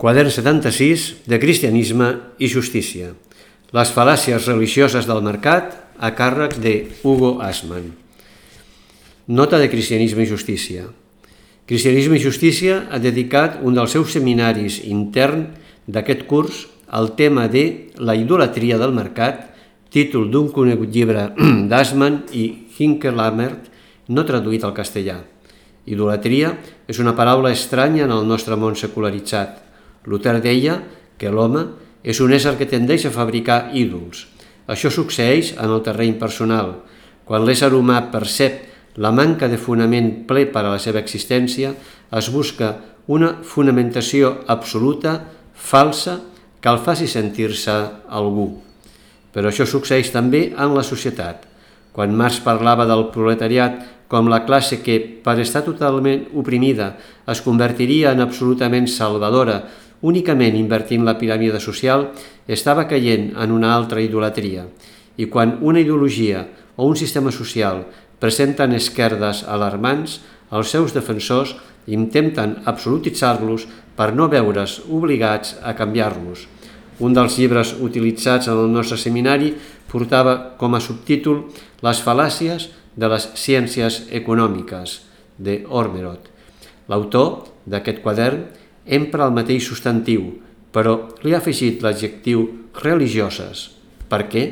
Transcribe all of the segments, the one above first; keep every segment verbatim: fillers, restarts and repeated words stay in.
Quadern setanta-sis de Cristianisme i Justícia. Les fal·làcies religioses del mercat a càrrec de Hugo Assmann. Nota de Cristianisme i Justícia. Cristianisme i Justícia ha dedicat un dels seus seminaris intern d'aquest curs al tema de la idolatria del mercat, títol d'un conegut llibre d'Assmann i Hinckelamert, no traduït al castellà. Idolatria és una paraula estranya en el nostre món secularitzat. Luther deia que l'home és un ésser que tendeix a fabricar ídols. Això succeeix en el terreny personal. Quan l'ésser humà percep la manca de fonament ple per a la seva existència, es busca una fonamentació absoluta, falsa, que el faci sentir-se algú. Però això succeeix també en la societat. Quan Marx parlava del proletariat com la classe que, per estar totalment oprimida, es convertiria en absolutament salvadora, únicament invertint la piràmide social, estava caient en una altra idolatria. I quan una ideologia o un sistema social presenten esquerdes alarmants, els seus defensors intenten absolutitzar-los per no veure's obligats a canviar-los. Un dels llibres utilitzats en el nostre seminari portava com a subtítol Les fal·làcies de les ciències econòmiques, de Ormerod. L'autor d'aquest quadern empra el mateix substantiu, però li ha afegit l'adjectiu religioses. Per què?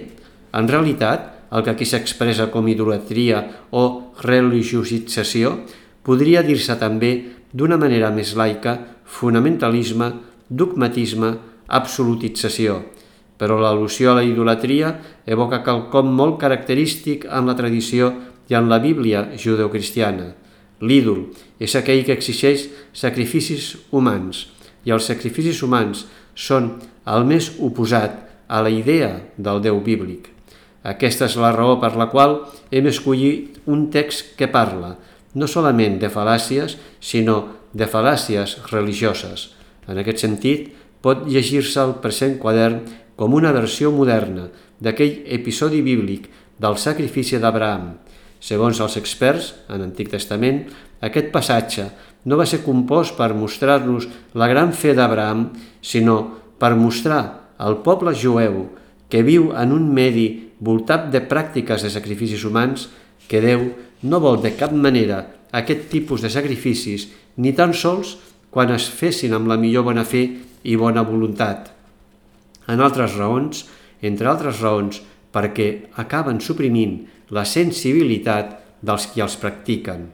En realitat, el que aquí s'expressa com idolatria o religiosització podria dir-se també d'una manera més laica fonamentalisme, dogmatisme, absolutització. Però l'al·lusió a la idolatria evoca quelcom molt característic en la tradició i en la Bíblia judeocristiana. L'ídol és aquell que exigeix sacrificis humans, i els sacrificis humans són el més oposat a la idea del Déu bíblic. Aquesta és la raó per la qual hem escollit un text que parla no solament de fal·làcies, sinó de fal·làcies religioses. En aquest sentit, pot llegir-se el present quadern com una versió moderna d'aquell episodi bíblic del sacrifici d'Abraham. Segons els experts, en l'Antic Testament, aquest passatge no va ser compost per mostrar-nos la gran fe d'Abraham, sinó per mostrar al poble jueu que viu en un medi voltat de pràctiques de sacrificis humans que Déu no vol de cap manera aquest tipus de sacrificis, ni tan sols quan es fessin amb la millor bona fe i bona voluntat. En altres raons, entre altres raons, perquè acaben suprimint la sensibilitat dels qui els practiquen.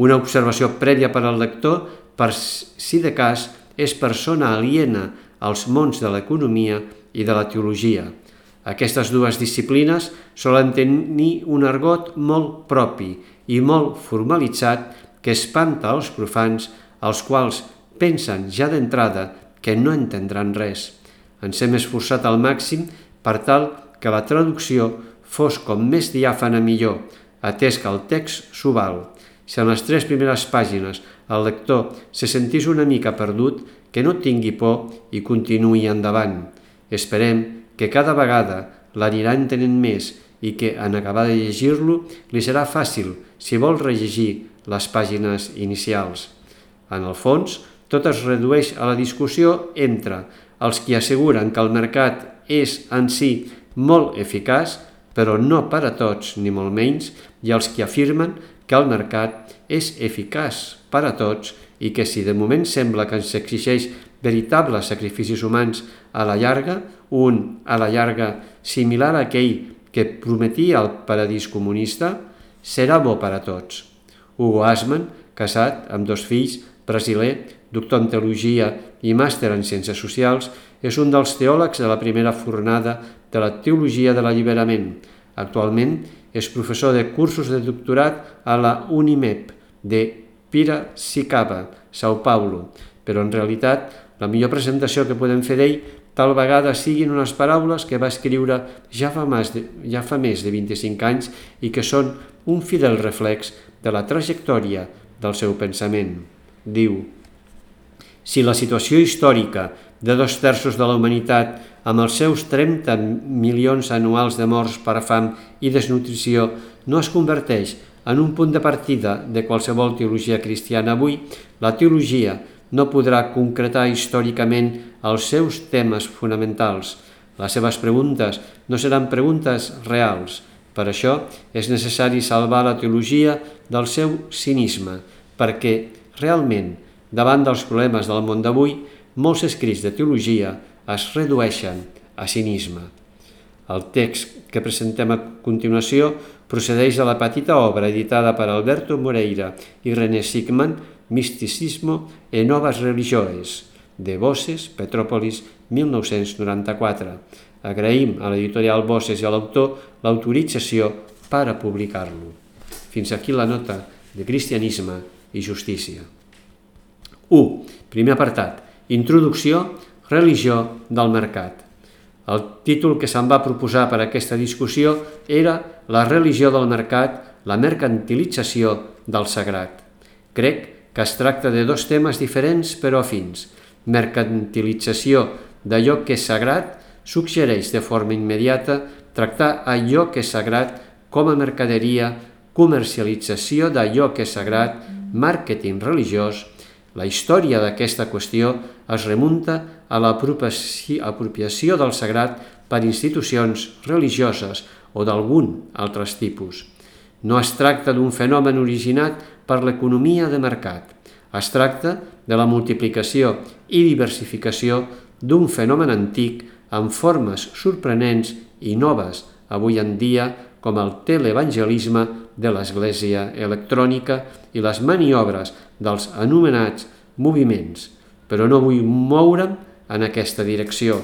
Una observació prèvia per al lector, per si de cas és persona aliena als mons de l'economia i de la teologia. Aquestes dues disciplines solen tenir un argot molt propi i molt formalitzat que espanta els profans, els quals pensen ja d'entrada que no entendran res. Ens hem esforçat al màxim per tal que la traducció fos com més diàfana millor, atès que el text s'ho val. Si en les tres primeres pàgines el lector se sentís una mica perdut, que no tingui por i continuï endavant. Esperem que cada vegada l'anirà entenent més i que, en acabar de llegir-lo, li serà fàcil si vol rellegir les pàgines inicials. En el fons, tot es redueix a la discussió entre els qui asseguren que el mercat és en si molt eficaç, però no per a tots, ni molt menys, i els qui afirmen que el mercat és eficaç per a tots i que si de moment sembla que ens exigeix veritables sacrificis humans a la llarga, un a la llarga similar a aquell que prometia el paradís comunista, serà bo per a tots. Hugo Assmann, casat amb dos fills, brasiler, doctor en teologia i màster en ciències socials, és un dels teòlegs de la primera fornada de la teologia de l'alliberament. Actualment és professor de cursos de doctorat a la UNIMEP de Piracicaba, São Paulo, però en realitat la millor presentació que podem fer d'ell tal vegada siguin unes paraules que va escriure ja fa, de, ja fa més de vint-i-cinc anys i que són un fidel reflex de la trajectòria del seu pensament. Diu: si la situació històrica de dos terços de la humanitat, amb els seus trenta milions anuals de morts per fam i desnutrició, no es converteix en un punt de partida de qualsevol teologia cristiana avui, la teologia no podrà concretar històricament els seus temes fonamentals. Les seves preguntes no seran preguntes reals. Per això és necessari salvar la teologia del seu cinisme, perquè realment, davant dels problemes del món d'avui, molts escrits de teologia es redueixen a cinisme. El text que presentem a continuació procedeix de la petita obra editada per Alberto Moreira i René Sigman, Misticismo e Novas Religiones, de Bosses, Petrópolis, mil nou-cents noranta-quatre. Agraïm a l'editorial Bosses i a l'autor l'autorització per a publicar-lo. Fins aquí la nota de Cristianisme i Justícia. u. Primer apartat. Introducció, religió del mercat. El títol que se'n va proposar per a aquesta discussió era La religió del mercat, la mercantilització del sagrat. Crec que es tracta de dos temes diferents però afins. Mercantilització d'allò que és sagrat suggereix de forma immediata tractar allò que és sagrat com a mercaderia, comercialització d'allò que és sagrat, màrqueting religiós. La història d'aquesta qüestió es remunta a l'apropiació del sagrat per institucions religioses o d'algun altre tipus. No es tracta d'un fenomen originat per l'economia de mercat. Es tracta de la multiplicació i diversificació d'un fenomen antic amb formes sorprenents i noves avui en dia com el televangelisme de l'Església electrònica i les maniobres dels anomenats moviments, però no vull moure'm en aquesta direcció.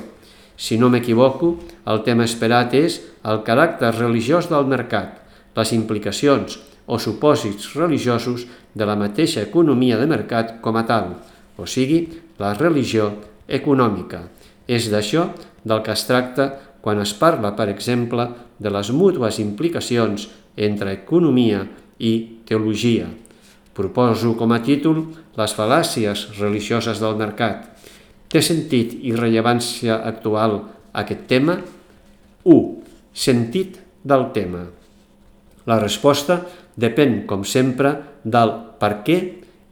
Si no m'equivoco, el tema esperat és el caràcter religiós del mercat, les implicacions o supòsits religiosos de la mateixa economia de mercat com a tal, o sigui, la religió econòmica. És d'això del que es tracta quan es parla, per exemple, de les mútues implicacions entre economia i teologia. Proposo com a títol Les fal·làcies religioses del mercat. Té sentit i rellevància actual aquest tema? u. Sentit del tema. La resposta depèn, com sempre, del per què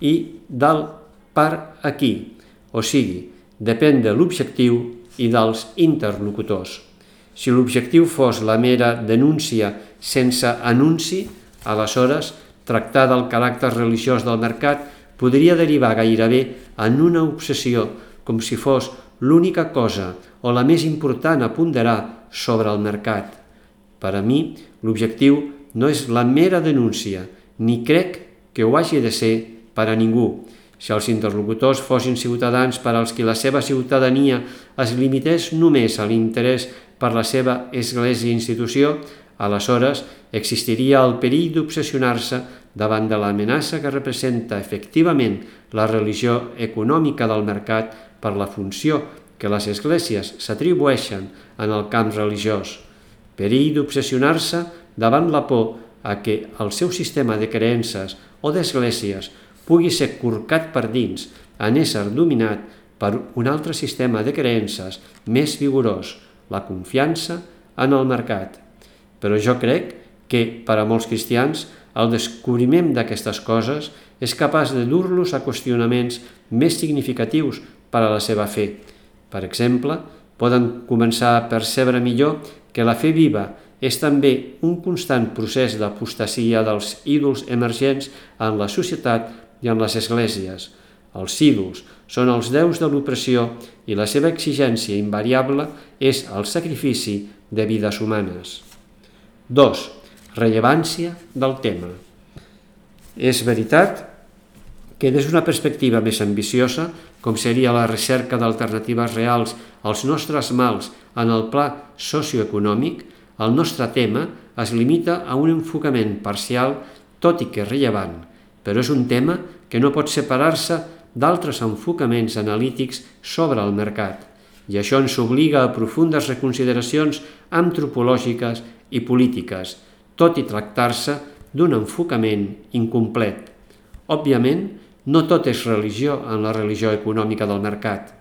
i del per a qui, o sigui, depèn de l'objectiu i dels interlocutors. Si l'objectiu fos la mera denúncia sense anunci, aleshores tractar del caràcter religiós del mercat podria derivar gairebé en una obsessió, com si fos l'única cosa o la més important a ponderar sobre el mercat. Per a mi, l'objectiu no és la mera denúncia, ni crec que ho hagi de ser per a ningú. Si els interlocutors fossin ciutadans per als qui la seva ciutadania es limités només a l'interès per la seva església i institució, aleshores existiria el perill d'obsessionar-se davant de l'amenaça que representa efectivament la religió econòmica del mercat per la funció que les esglésies s'atribueixen en el camp religiós. Perill d'obsessionar-se davant la por a que el seu sistema de creences o d'esglésies pugui ser corcat per dins en ésser dominat per un altre sistema de creences més vigorós, la confiança en el mercat. Però jo crec que, per a molts cristians, el descobriment d'aquestes coses és capaç de dur-los a qüestionaments més significatius per a la seva fe. Per exemple, poden començar a percebre millor que la fe viva és també un constant procés d'apostasia dels ídols emergents en la societat i en les esglésies. Els ídols són els déus de l'opressió i la seva exigència invariable és el sacrifici de vides humanes. dos. Rellevància del tema. És veritat que des d'una perspectiva més ambiciosa, com seria la recerca d'alternatives reals als nostres mals en el pla socioeconòmic, el nostre tema es limita a un enfocament parcial, tot i que rellevant, però és un tema que no pot separar-se d'altres enfocaments analítics sobre el mercat, i això ens obliga a profundes reconsideracions antropològiques i polítiques, tot i tractar-se d'un enfocament incomplet. Òbviament, no tot és religió en la religió econòmica del mercat.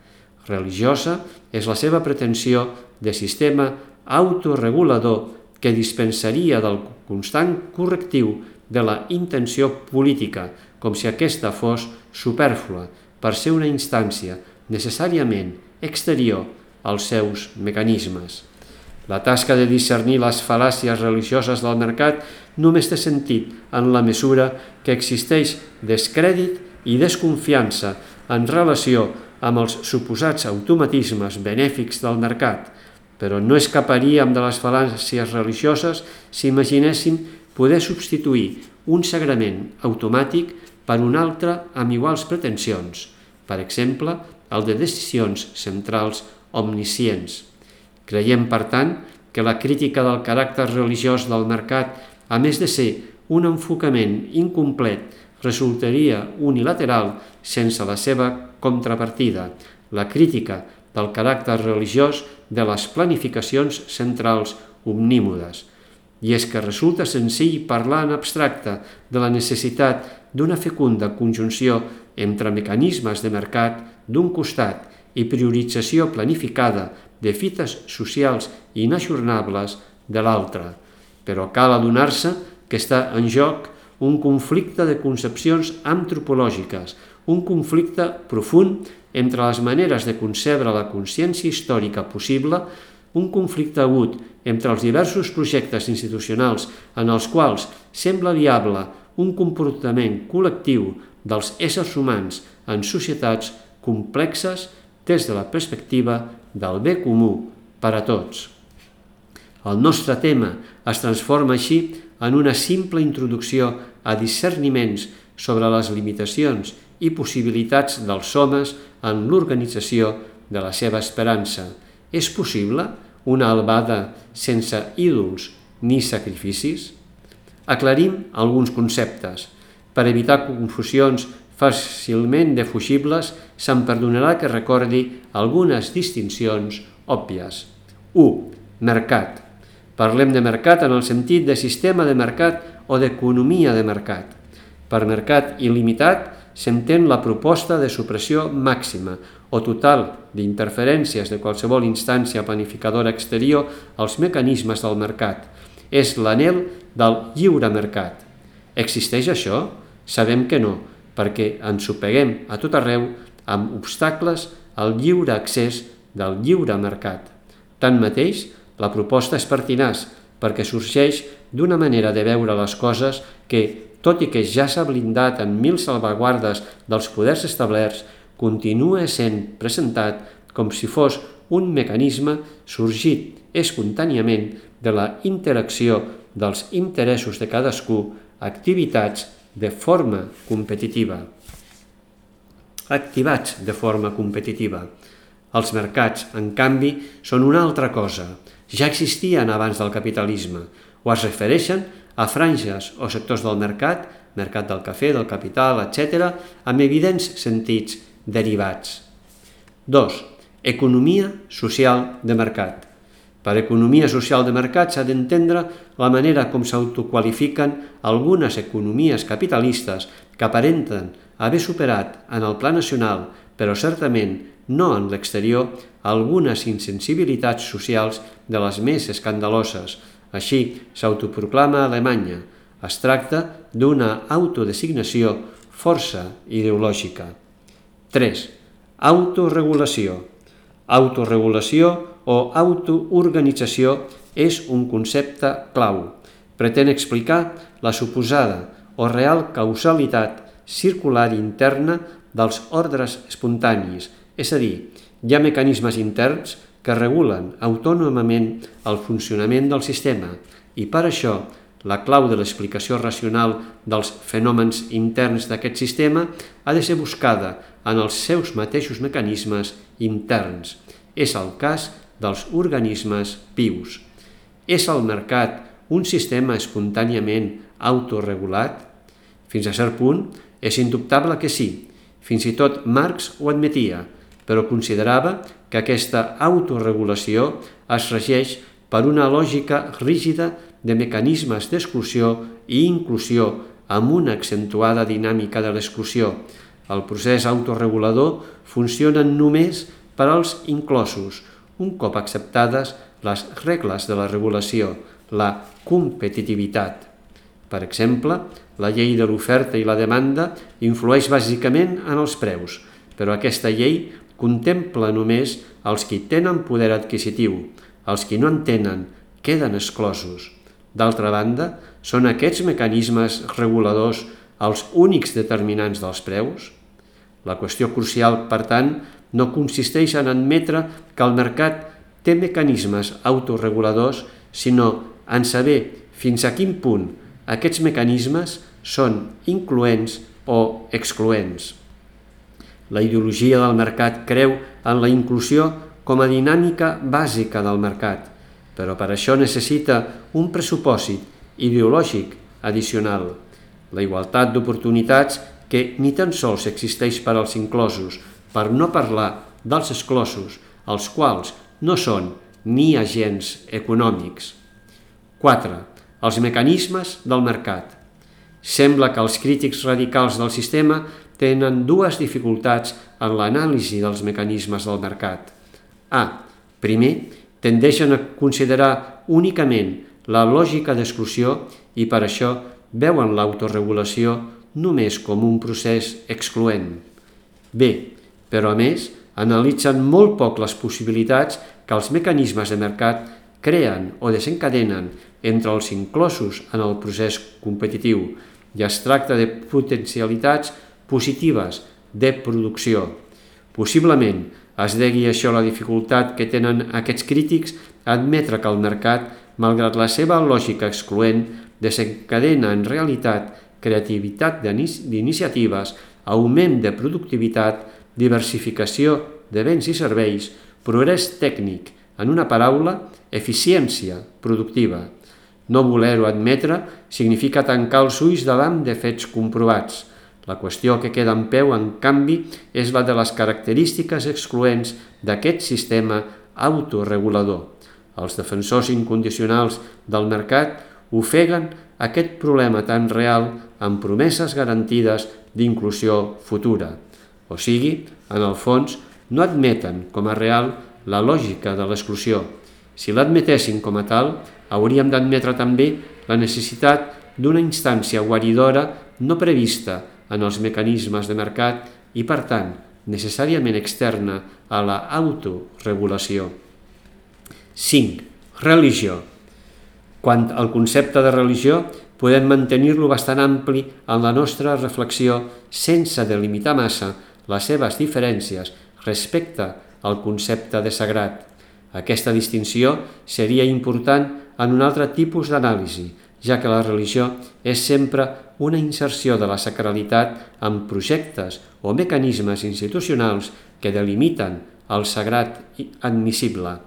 Religiosa és la seva pretensió de sistema autoregulador que dispensaria del constant correctiu de la intenció política, com si aquesta fos supèrflua, per ser una instància necessàriament exterior als seus mecanismes. La tasca de discernir les fal·làcies religioses del mercat només té sentit en la mesura que existeix descrèdit i desconfiança en relació amb els suposats automatismes benèfics del mercat, però no escaparíem de les fal·làcies religioses si imaginéssim poder substituir un sagrament automàtic per un altre amb iguals pretensions, per exemple, el de decisions centrals omniscients. Creiem, per tant, que la crítica del caràcter religiós del mercat, a més de ser un enfocament incomplet, resultaria unilateral sense la seva contrapartida, la crítica del caràcter religiós de les planificacions centrals omnímodes. I és que resulta senzill parlar en abstracte de la necessitat d'una fecunda conjunció entre mecanismes de mercat d'un costat i priorització planificada de fites socials inajornables de l'altre, però cal adonar-se que està en joc un conflicte de concepcions antropològiques, un conflicte profund entre les maneres de concebre la consciència històrica possible, un conflicte agut entre els diversos projectes institucionals en els quals sembla viable un comportament col·lectiu dels éssers humans en societats complexes des de la perspectiva del bé comú per a tots. El nostre tema es transforma així en una simple introducció a discerniments sobre les limitacions i possibilitats dels homes en l'organització de la seva esperança. És possible una albada sense ídols ni sacrificis? Aclarim alguns conceptes. Per evitar confusions fàcilment defugibles, se'm perdonarà que recordi algunes distincions òbvies. u. Mercat. Parlem de mercat en el sentit de sistema de mercat o d'economia de mercat. Per mercat il·limitat s'entén la proposta de supressió màxima o total d'interferències de qualsevol instància planificadora exterior als mecanismes del mercat. És l'anhel del lliure mercat. Existeix això? Sabem que no, perquè ens sopeguem a tot arreu amb obstacles al lliure accés del lliure mercat. Tanmateix, la proposta és pertinaç perquè sorgeix d'una manera de veure les coses que, tot i que ja s'ha blindat en mil salvaguardes dels poders establerts, continua sent presentat com si fos un mecanisme sorgit espontàniament de la interacció dels interessos de cadascú, activitats de forma competitiva. Activats de forma competitiva. Els mercats, en canvi, són una altra cosa. Ja existien abans del capitalisme, o es refereixen a franges o sectors del mercat, mercat del cafè, del capital, etcètera, amb evidents sentits derivats. dos. Economia social de mercat. Per economia social de mercat s'ha d'entendre la manera com s'autoqualifiquen algunes economies capitalistes que aparenten haver superat en el pla nacional, però certament no en l'exterior, algunes insensibilitats socials de les més escandaloses. Així s'autoproclama Alemanya. Es tracta d'una autodesignació força ideològica. tres. Autoregulació. Autoregulació o autoorganització és un concepte clau. Pretén explicar la suposada o real causalitat circular interna dels ordres espontanis, és a dir, hi ha mecanismes interns que regulen autònomament el funcionament del sistema i per això la clau de l'explicació racional dels fenòmens interns d'aquest sistema ha de ser buscada en els seus mateixos mecanismes interns. És el cas dels organismes vius. És el mercat un sistema espontàniament autoregulat? Fins a cert punt, és indubtable que sí. Fins i tot Marx ho admetia, però considerava que aquesta autoregulació es regeix per una lògica rígida de mecanismes d'exclusió i inclusió amb una accentuada dinàmica de l'exclusió. El procés autoregulador funciona només per als inclosos, un cop acceptades les regles de la regulació, la competitivitat. Per exemple, la llei de l'oferta i la demanda influeix bàsicament en els preus, però aquesta llei contempla només els qui tenen poder adquisitiu. Els qui no en tenen queden exclosos. D'altra banda, són aquests mecanismes reguladors els únics determinants dels preus? La qüestió crucial, per tant, no consisteix en admetre que el mercat té mecanismes autoreguladors, sinó en saber fins a quin punt aquests mecanismes són incloents o excloents. La ideologia del mercat creu en la inclusió com a dinàmica bàsica del mercat, però per això necessita un pressupòsit ideològic addicional, la igualtat d'oportunitats que ni tan sols existeix per als inclosos, per no parlar dels exclosos, els quals no són ni agents econòmics. quatre. Els mecanismes del mercat. Sembla que els crítics radicals del sistema tenen dues dificultats en l'anàlisi dels mecanismes del mercat. A. Primer, tendeixen a considerar únicament la lògica d'exclusió i per això veuen l'autoregulació només com un procés excloent. B. Però a més, analitzen molt poc les possibilitats que els mecanismes de mercat creen o desencadenen entre els inclosos en el procés competitiu i es tracta de potencialitats positives de producció. Possiblement es degui això a la dificultat que tenen aquests crítics a admetre que el mercat, malgrat la seva lògica excloent, desencadena en realitat creativitat d'iniciatives, augment de productivitat, diversificació de béns i serveis, progrés tècnic, en una paraula, eficiència productiva. No voler-ho admetre significa tancar els ulls davant de fets comprovats. La qüestió que queda en peu, en canvi, és la de les característiques excloents d'aquest sistema autoregulador. Els defensors incondicionals del mercat ofeguen aquest problema tan real amb promeses garantides d'inclusió futura. O sigui, en el fons, no admeten com a real la lògica de l'exclusió. Si l'admetessin com a tal, hauríem d'admetre també la necessitat d'una instància guaridora no prevista en els mecanismes de mercat i, per tant, necessàriament externa a la autoregulació. cinc. Religió. Quant al concepte de religió, podem mantenir-lo bastant ampli en la nostra reflexió sense delimitar massa les seves diferències respecte al concepte de sagrat. Aquesta distinció seria important en un altre tipus d'anàlisi, ja que la religió és sempre una inserció de la sacralitat en projectes o mecanismes institucionals que delimiten el sagrat admissible.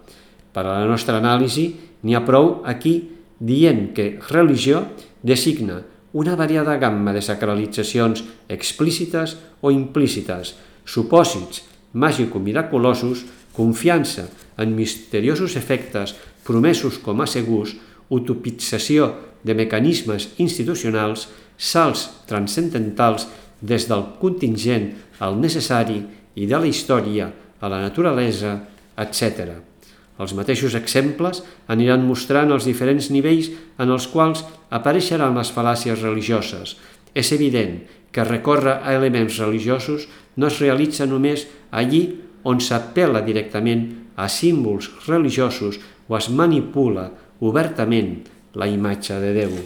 Per a la nostra anàlisi, n'hi ha prou aquí dient que religió designa una variada gamma de sacralitzacions explícites o implícites, supòsits màgico-miraculosos, confiança en misteriosos efectes promesos com a segurs, utopització de mecanismes institucionals, salts transcendentals des del contingent al necessari i de la història a la naturalesa, etcètera. Els mateixos exemples aniran mostrant els diferents nivells en els quals apareixeran les fal·làcies religioses. És evident que recórrer a elements religiosos no es realitza només allí on s'apel·la directament a símbols religiosos o es manipula obertament la imatge de Déu.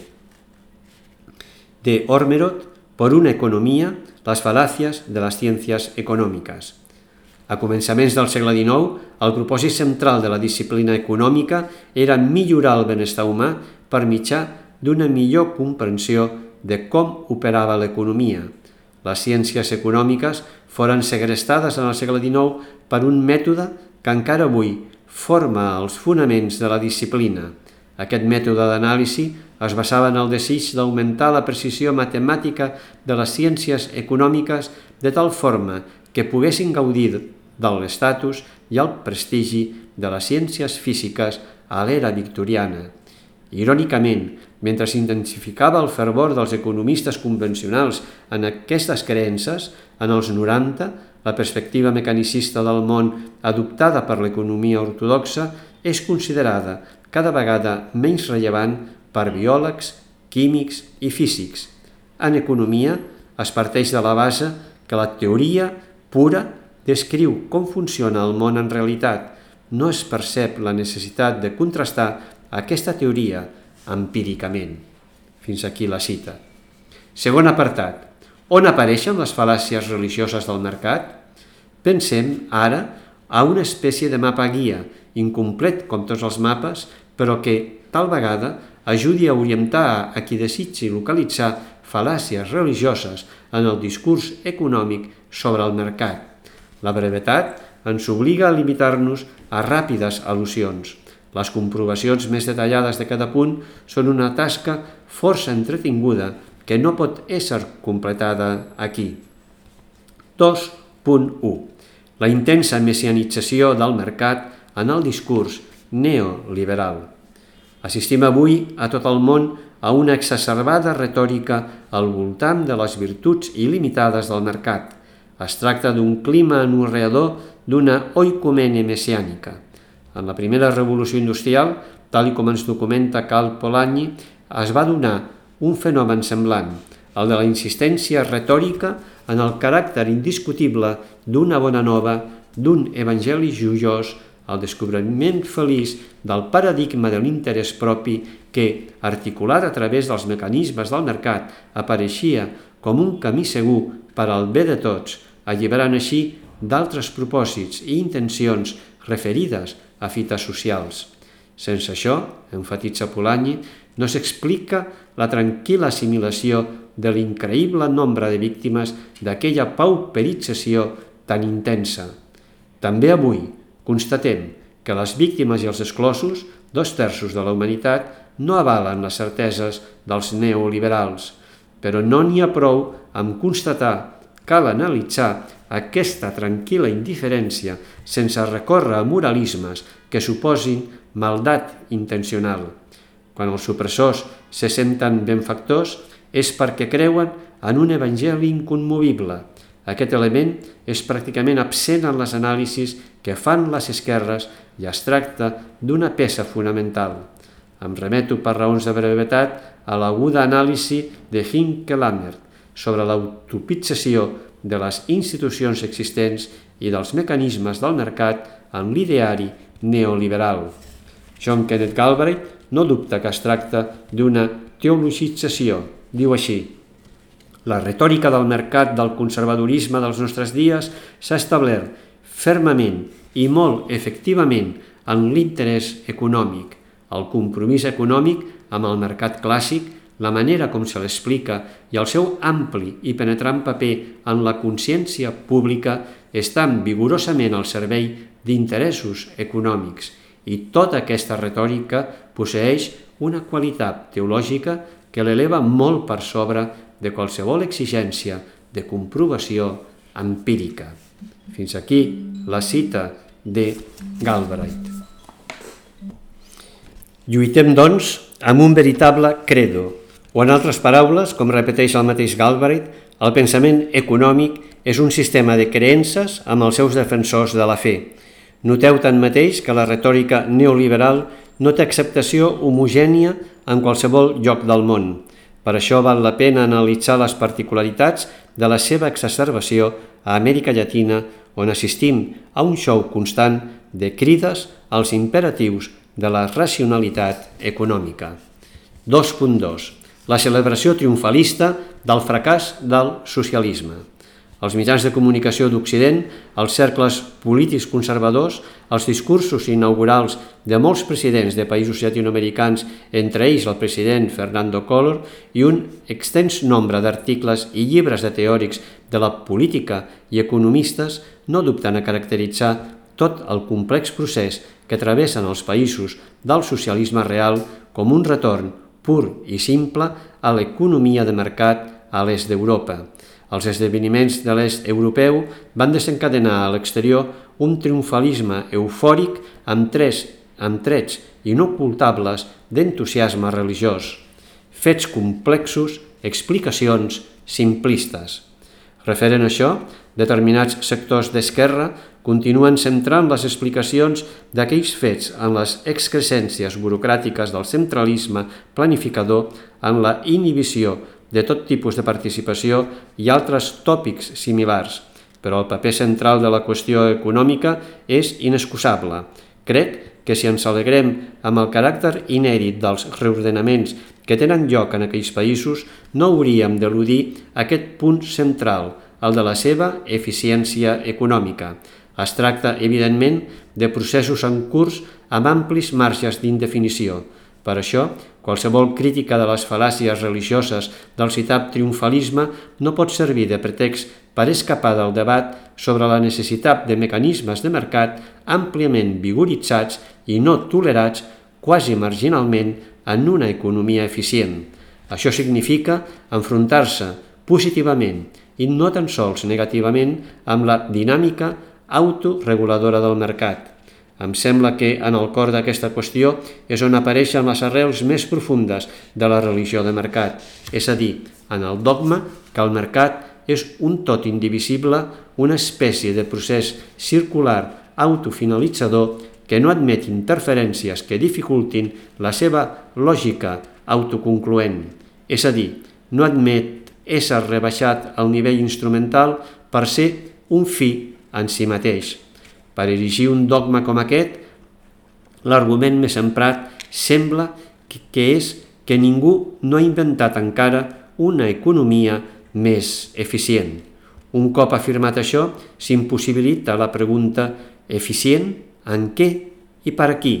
De Ormerod, por una economía, las falacias de las ciencias econòmiques. A començaments del segle dinou, el propòsit central de la disciplina econòmica era millorar el benestar humà per mitjà d'una millor comprensió de com operava l'economia. Les ciències econòmiques foren segrestades en el segle dinou per un mètode que encara avui forma els fonaments de la disciplina. Aquest mètode d'anàlisi es basava en el desig d'augmentar la precisió matemàtica de les ciències econòmiques de tal forma que poguessin gaudir de l'estatus i el prestigi de les ciències físiques a l'era victoriana. Irònicament, mentre s'intensificava el fervor dels economistes convencionals en aquestes creences, en els noranta, la perspectiva mecanicista del món adoptada per l'economia ortodoxa és considerada cada vegada menys rellevant per biòlegs, químics i físics. En economia es parteix de la base que la teoria pura descriu com funciona el món en realitat, no es percep la necessitat de contrastar aquesta teoria empíricament. Fins aquí la cita. Segon apartat. On apareixen les fal·làcies religioses del mercat? Pensem ara a una espècie de mapa guia, incomplet com tots els mapes, però que, tal vegada, ajudi a orientar a qui desitgi localitzar fal·làcies religioses en el discurs econòmic sobre el mercat. La brevetat ens obliga a limitar-nos a ràpides al·lusions. Les comprovacions més detallades de cada punt són una tasca força entretinguda que no pot ésser completada aquí. dos punt u. La intensa messianització del mercat en el discurs neoliberal. Assistim avui a tot el món a una exacerbada retòrica al voltant de les virtuts il·limitades del mercat. Es tracta d'un clima anorreador d'una oicomene messiànica. En la primera revolució industrial, tal com ens documenta Karl Polanyi, es va donar un fenomen semblant, el de la insistència retòrica en el caràcter indiscutible d'una bona nova, d'un evangeli joiós, el descobriment feliç del paradigma de l'interès propi que, articulat a través dels mecanismes del mercat, apareixia com un camí segur per al bé de tots, alliberant així d'altres propòsits i intencions referides a fites socials. Sense això, enfatitza Polanyi, no s'explica la tranquil·la assimilació de l'increïble nombre de víctimes d'aquella pauperització tan intensa. També avui constatem que les víctimes i els exclosos, dos terços de la humanitat, no avalen les certeses dels neoliberals, però no n'hi ha prou amb constatar, cal analitzar aquesta tranquil·la indiferència sense recórrer a moralismes que suposin maldat intencional. Quan els supressors se senten benfactors és perquè creuen en un evangeli incommovible. Aquest element és pràcticament absent en les anàlisis que fan les esquerres i es tracta d'una peça fonamental. Em remeto per raons de brevetat a l'aguda anàlisi de Hinke Lammert sobre l'autopització de les institucions existents i dels mecanismes del mercat en l'ideari neoliberal. John Kenneth Galbraith no dubta que es tracta d'una teologització. Diu així: la retòrica del mercat del conservadorisme dels nostres dies s'ha establert fermament i molt efectivament en l'interès econòmic, el compromís econòmic amb el mercat clàssic, la manera com se l'explica i el seu ampli i penetrant paper en la consciència pública estan vigorosament al servei d'interessos econòmics, i tota aquesta retòrica posseeix una qualitat teològica que l'eleva molt per sobre de qualsevol exigència de comprovació empírica. Fins aquí la cita de Galbraith. Lluitem, doncs, amb un veritable credo, o en altres paraules, com repeteix el mateix Galbraith, el pensament econòmic és un sistema de creences amb els seus defensors de la fe. Noteu tanmateix que la retòrica neoliberal no té acceptació homogènia en qualsevol lloc del món. Per això val la pena analitzar les particularitats de la seva exacerbació a Amèrica Llatina, on assistim a un show constant de crides als imperatius de la racionalitat econòmica. dos punt dos. La celebració triomfalista del fracàs del socialisme. Els mitjans de comunicació d'Occident, els cercles polítics conservadors, els discursos inaugurals de molts presidents de països llatinoamericans, entre ells el president Fernando Collor, i un extens nombre d'articles i llibres de teòrics de la política i economistes no dubten a caracteritzar tot el complex procés que travessen els països del socialisme real com un retorn pur i simple a l'economia de mercat a l'est d'Europa. Els esdeveniments de l'est europeu van desencadenar a l'exterior un triomfalisme eufòric amb, tres, amb trets inocultables d'entusiasme religiós, fets complexos, explicacions simplistes. Referent a això, determinats sectors d'esquerra continuen centrant les explicacions d'aquells fets en les excrescències burocràtiques del centralisme planificador, en la inhibició de tot tipus de participació i altres tòpics similars. però el paper central de la qüestió econòmica és inexcusable. Crec que si ens alegrem amb el caràcter inèdit dels reordenaments que tenen lloc en aquells països, no hauríem d'eludir aquest punt central, el de la seva eficiència econòmica. Es tracta, evidentment, de processos en curs amb amplis marges d'indefinició. Per això, qualsevol crítica de les fal·làcies religioses del citat triomfalisme no pot servir de pretext per escapar del debat sobre la necessitat de mecanismes de mercat àmpliament vigoritzats i no tolerats quasi marginalment en una economia eficient. Això significa enfrontar-se positivament i no tan sols negativament amb la dinàmica autoreguladora del mercat. Em sembla que en el cor d'aquesta qüestió és on apareixen les arrels més profundes de la religió de mercat, és a dir, en el dogma que el mercat és un tot indivisible, una espècie de procés circular autofinalitzador que no admet interferències que dificultin la seva lògica autoconcloent, és a dir, no admet ésser rebaixat al nivell instrumental per ser un fi en si mateix. Per erigir un dogma com aquest, l'argument més emprat sembla que és que ningú no ha inventat encara una economia més eficient. Un cop afirmat això, s'impossibilita la pregunta eficient en què i per a qui?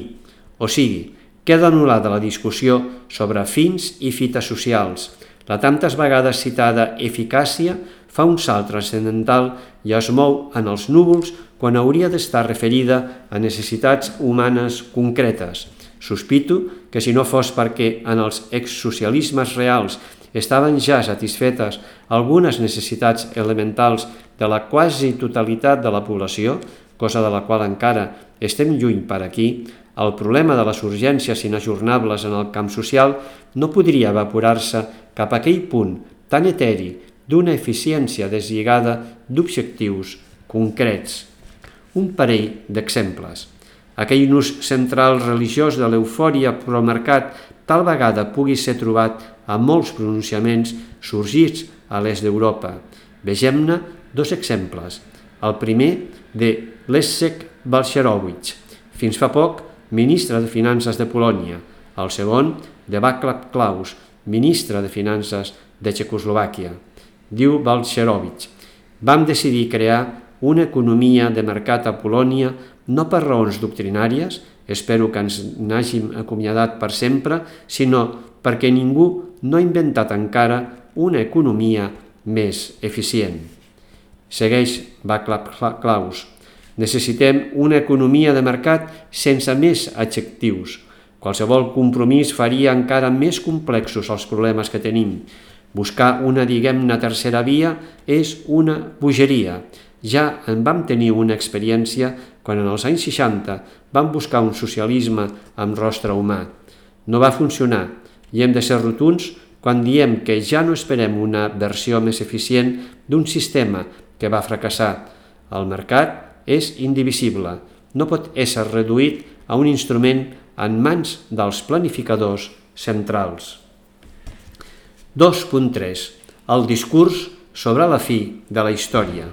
O sigui, queda anul·lada la discussió sobre fins i fites socials. La tantes vegades citada eficàcia fa un salt transcendental i es mou en els núvols quan hauria d'estar referida a necessitats humanes concretes. Sospito que si no fos perquè en els exsocialismes reals estaven ja satisfetes algunes necessitats elementals de la quasi totalitat de la població, cosa de la qual encara estem lluny per aquí, el problema de les urgències inajornables en el camp social no podria evaporar-se cap a aquell punt tan eteri d'una eficiència deslligada d'objectius concrets. Un parell d'exemples. Aquell nus central religiós de l'eufòria pro-mercat tal vegada pugui ser trobat a molts pronunciaments sorgits a l'est d'Europa. Vegem-ne dos exemples. El primer de Leszek Balcerowicz, fins fa poc ministre de Finances de Polònia. El segon de Václav Klaus, ministre de Finances de Txecoslovàquia. Diu Balcerowicz: vam decidir crear una economia de mercat a Polònia no per raons doctrinàries, espero que ens n'hàgim acomiadat per sempre, sinó perquè ningú no ha inventat encara una economia més eficient. Segueix Václav Klaus: necessitem una economia de mercat sense més adjectius. Qualsevol compromís faria encara més complexos els problemes que tenim. Buscar una, diguem-ne, tercera via és una bogeria. Ja en vam tenir una experiència quan en els anys seixanta vam buscar un socialisme amb rostre humà. No va funcionar i hem de ser rotunds quan diem que ja no esperem una versió més eficient d'un sistema que va fracassar. El mercat és indivisible, no pot ésser reduït a un instrument en mans dels planificadors centrals. dos punt tres. El discurs sobre la fi de la història.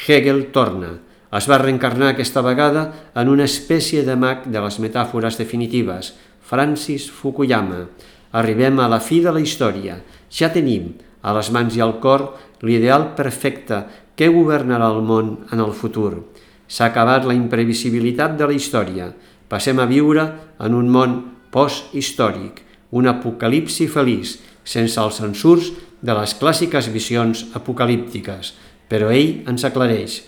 Hegel torna. Es va reencarnar aquesta vegada en una espècie de mag de les metàfores definitives, Francis Fukuyama. Arribem a la fi de la història. Ja tenim a les mans i al cor l'ideal perfecte que governarà el món en el futur. S'ha acabat la imprevisibilitat de la història. Passem a viure en un món post-històric, un apocalipsi feliç, sense els censurs de les clàssiques visions apocalíptiques. Però ell ens aclareix.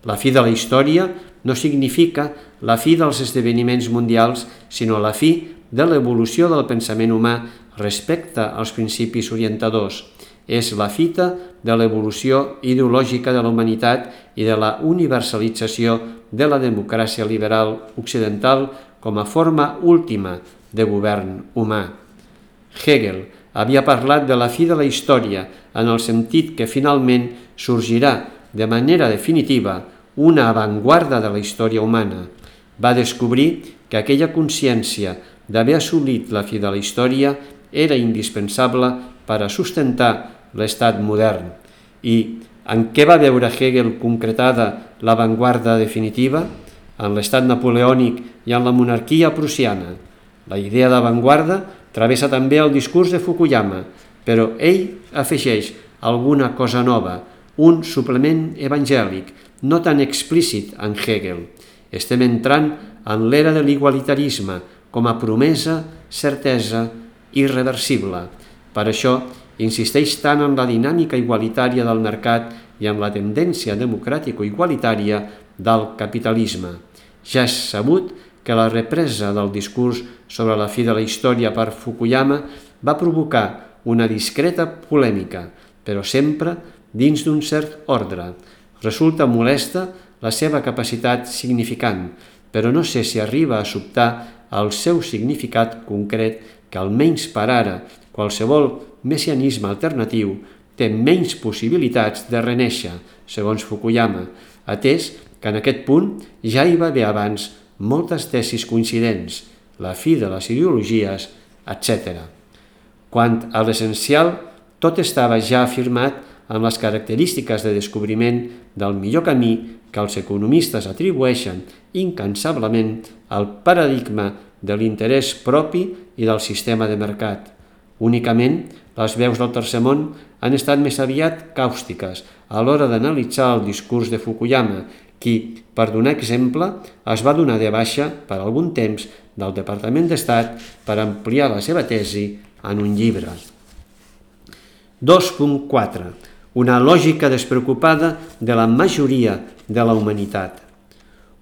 La fi de la història no significa la fi dels esdeveniments mundials, sinó la fi de l'evolució del pensament humà respecte als principis orientadors. És la fita de l'evolució ideològica de la humanitat i de la universalització de la democràcia liberal occidental com a forma última de govern humà. Hegel havia parlat de la fi de la història en el sentit que finalment sorgirà de manera definitiva una avantguarda de la història humana. Va descobrir que aquella consciència d'haver assolit la fi de la història era indispensable per a sustentar l'estat modern i En què va veure Hegel concretada l'avantguarda definitiva? En l'estat napoleònic i en la monarquia prussiana. La idea d'avantguarda travessa també el discurs de Fukuyama, però ell afegeix alguna cosa nova, un suplement evangèlic, no tan explícit en Hegel. Estem entrant en l'era de l'igualitarisme com a promesa, certesa, irreversible. Per això insisteix tant en la dinàmica igualitària del mercat i en la tendència democràtico-igualitària del capitalisme. Ja és sabut que la represa del discurs sobre la fi de la història per Fukuyama va provocar una discreta polèmica, però sempre dins d'un cert ordre. Resulta molesta la seva capacitat significant, però no sé si arriba a sobtar el seu significat concret que, almenys per ara, qualsevol messianisme alternatiu té menys possibilitats de renéixer, segons Fukuyama, atès que en aquest punt ja hi va haver abans moltes tesis coincidents, la fi de les ideologies, etcètera. Quant a l'essencial, tot estava ja afirmat en les característiques de descobriment del millor camí que els economistes atribueixen incansablement al paradigma de l'interès propi i del sistema de mercat. Únicament, les veus del tercer món han estat més aviat càustiques a l'hora d'analitzar el discurs de Fukuyama, qui, per donar exemple, es va donar de baixa per algun temps del Departament d'Estat per ampliar la seva tesi en un llibre. dos punt quatre. Una lògica despreocupada de la majoria de la humanitat.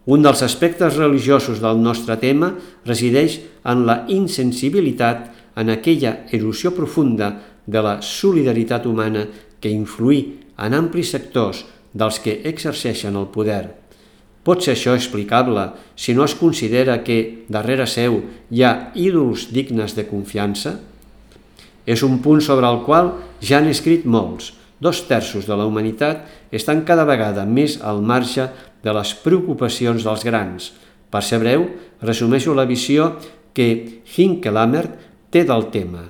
Un dels aspectes religiosos del nostre tema resideix en la insensibilitat en aquella erosió profunda de la solidaritat humana que influí en amplis sectors dels que exerceixen el poder. Pot ser això explicable si no es considera que darrere seu hi ha ídols dignes de confiança? És un punt sobre el qual ja han escrit molts. Dos terços de la humanitat estan cada vegada més al marge de les preocupacions dels grans. Per ser breu, resumeixo la visió que Hinckelamert té del tema.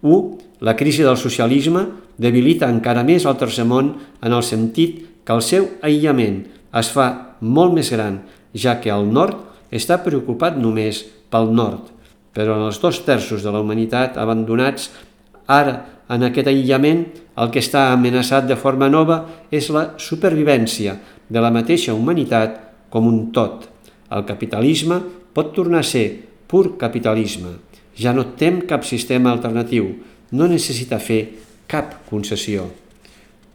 u. La crisi del socialisme debilita encara més el tercer món en el sentit que el seu aïllament es fa molt més gran, ja que el nord està preocupat només pel nord, però en els dos terços de la humanitat abandonats ara en aquest aïllament, el que està amenaçat de forma nova és la supervivència de la mateixa humanitat com un tot. El capitalisme pot tornar a ser pur capitalisme. Ja no tem cap sistema alternatiu, no necessita fer cap concessió.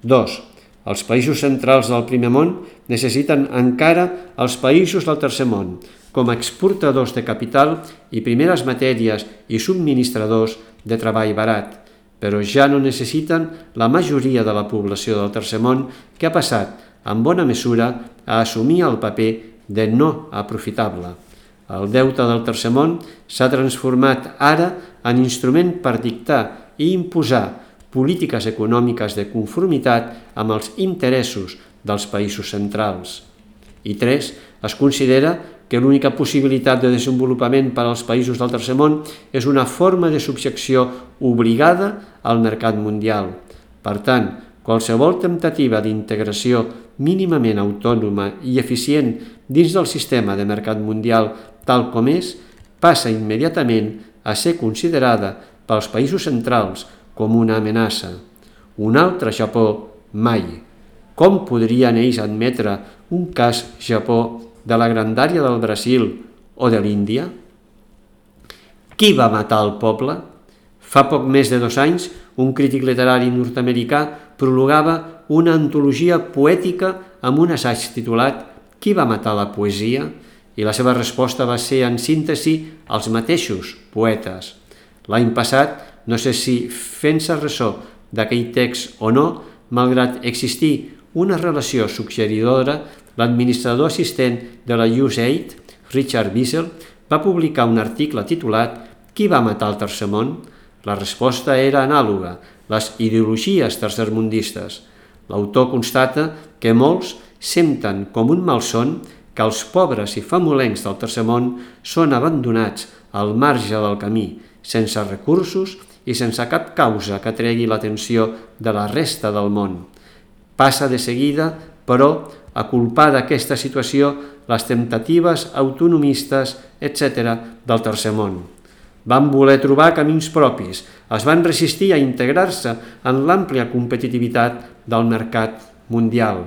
dos. Els països centrals del primer món necessiten encara els països del tercer món com a exportadors de capital i primeres matèries i subministradors de treball barat, però ja no necessiten la majoria de la població del tercer món que ha passat, en bona mesura, a assumir el paper de no aprofitable. El deute del tercer món s'ha transformat ara en instrument per dictar i imposar polítiques econòmiques de conformitat amb els interessos dels països centrals. I tres. Es considera que l'única possibilitat de desenvolupament per als països del tercer món és una forma de subjecció obligada al mercat mundial. Per tant, qualsevol temptativa d'integració mínimament autònoma i eficient dins del sistema de mercat mundial tal com és, passa immediatament a ser considerada pels països centrals com una amenaça. Un altre Japó, mai. Com podrien ells admetre un cas Japó de la grandària del Brasil o de l'Índia? Qui va matar el poble? Fa poc més de dos anys, un crític literari nord-americà prologava una antologia poètica amb un assaig titulat «Qui va matar la poesia?» i la seva resposta va ser, en síntesi, els mateixos poetes. L'any passat, no sé si fent-se ressò d'aquell text o no, malgrat existir una relació suggeridora, l'administrador assistent de la U S A I D, Richard Wiesel, va publicar un article titulat «Qui va matar el tercer món?». La resposta era anàloga, les ideologies tercermundistes. L'autor constata que molts senten com un malson que els pobres i famolencs del tercer món són abandonats al marge del camí, sense recursos i sense cap causa que tregui l'atenció de la resta del món. Passa de seguida, però, a culpar d'aquesta situació les temptatives autonomistes, etcètera, del tercer món. Van voler trobar camins propis, es van resistir a integrar-se en l'àmplia competitivitat del mercat mundial.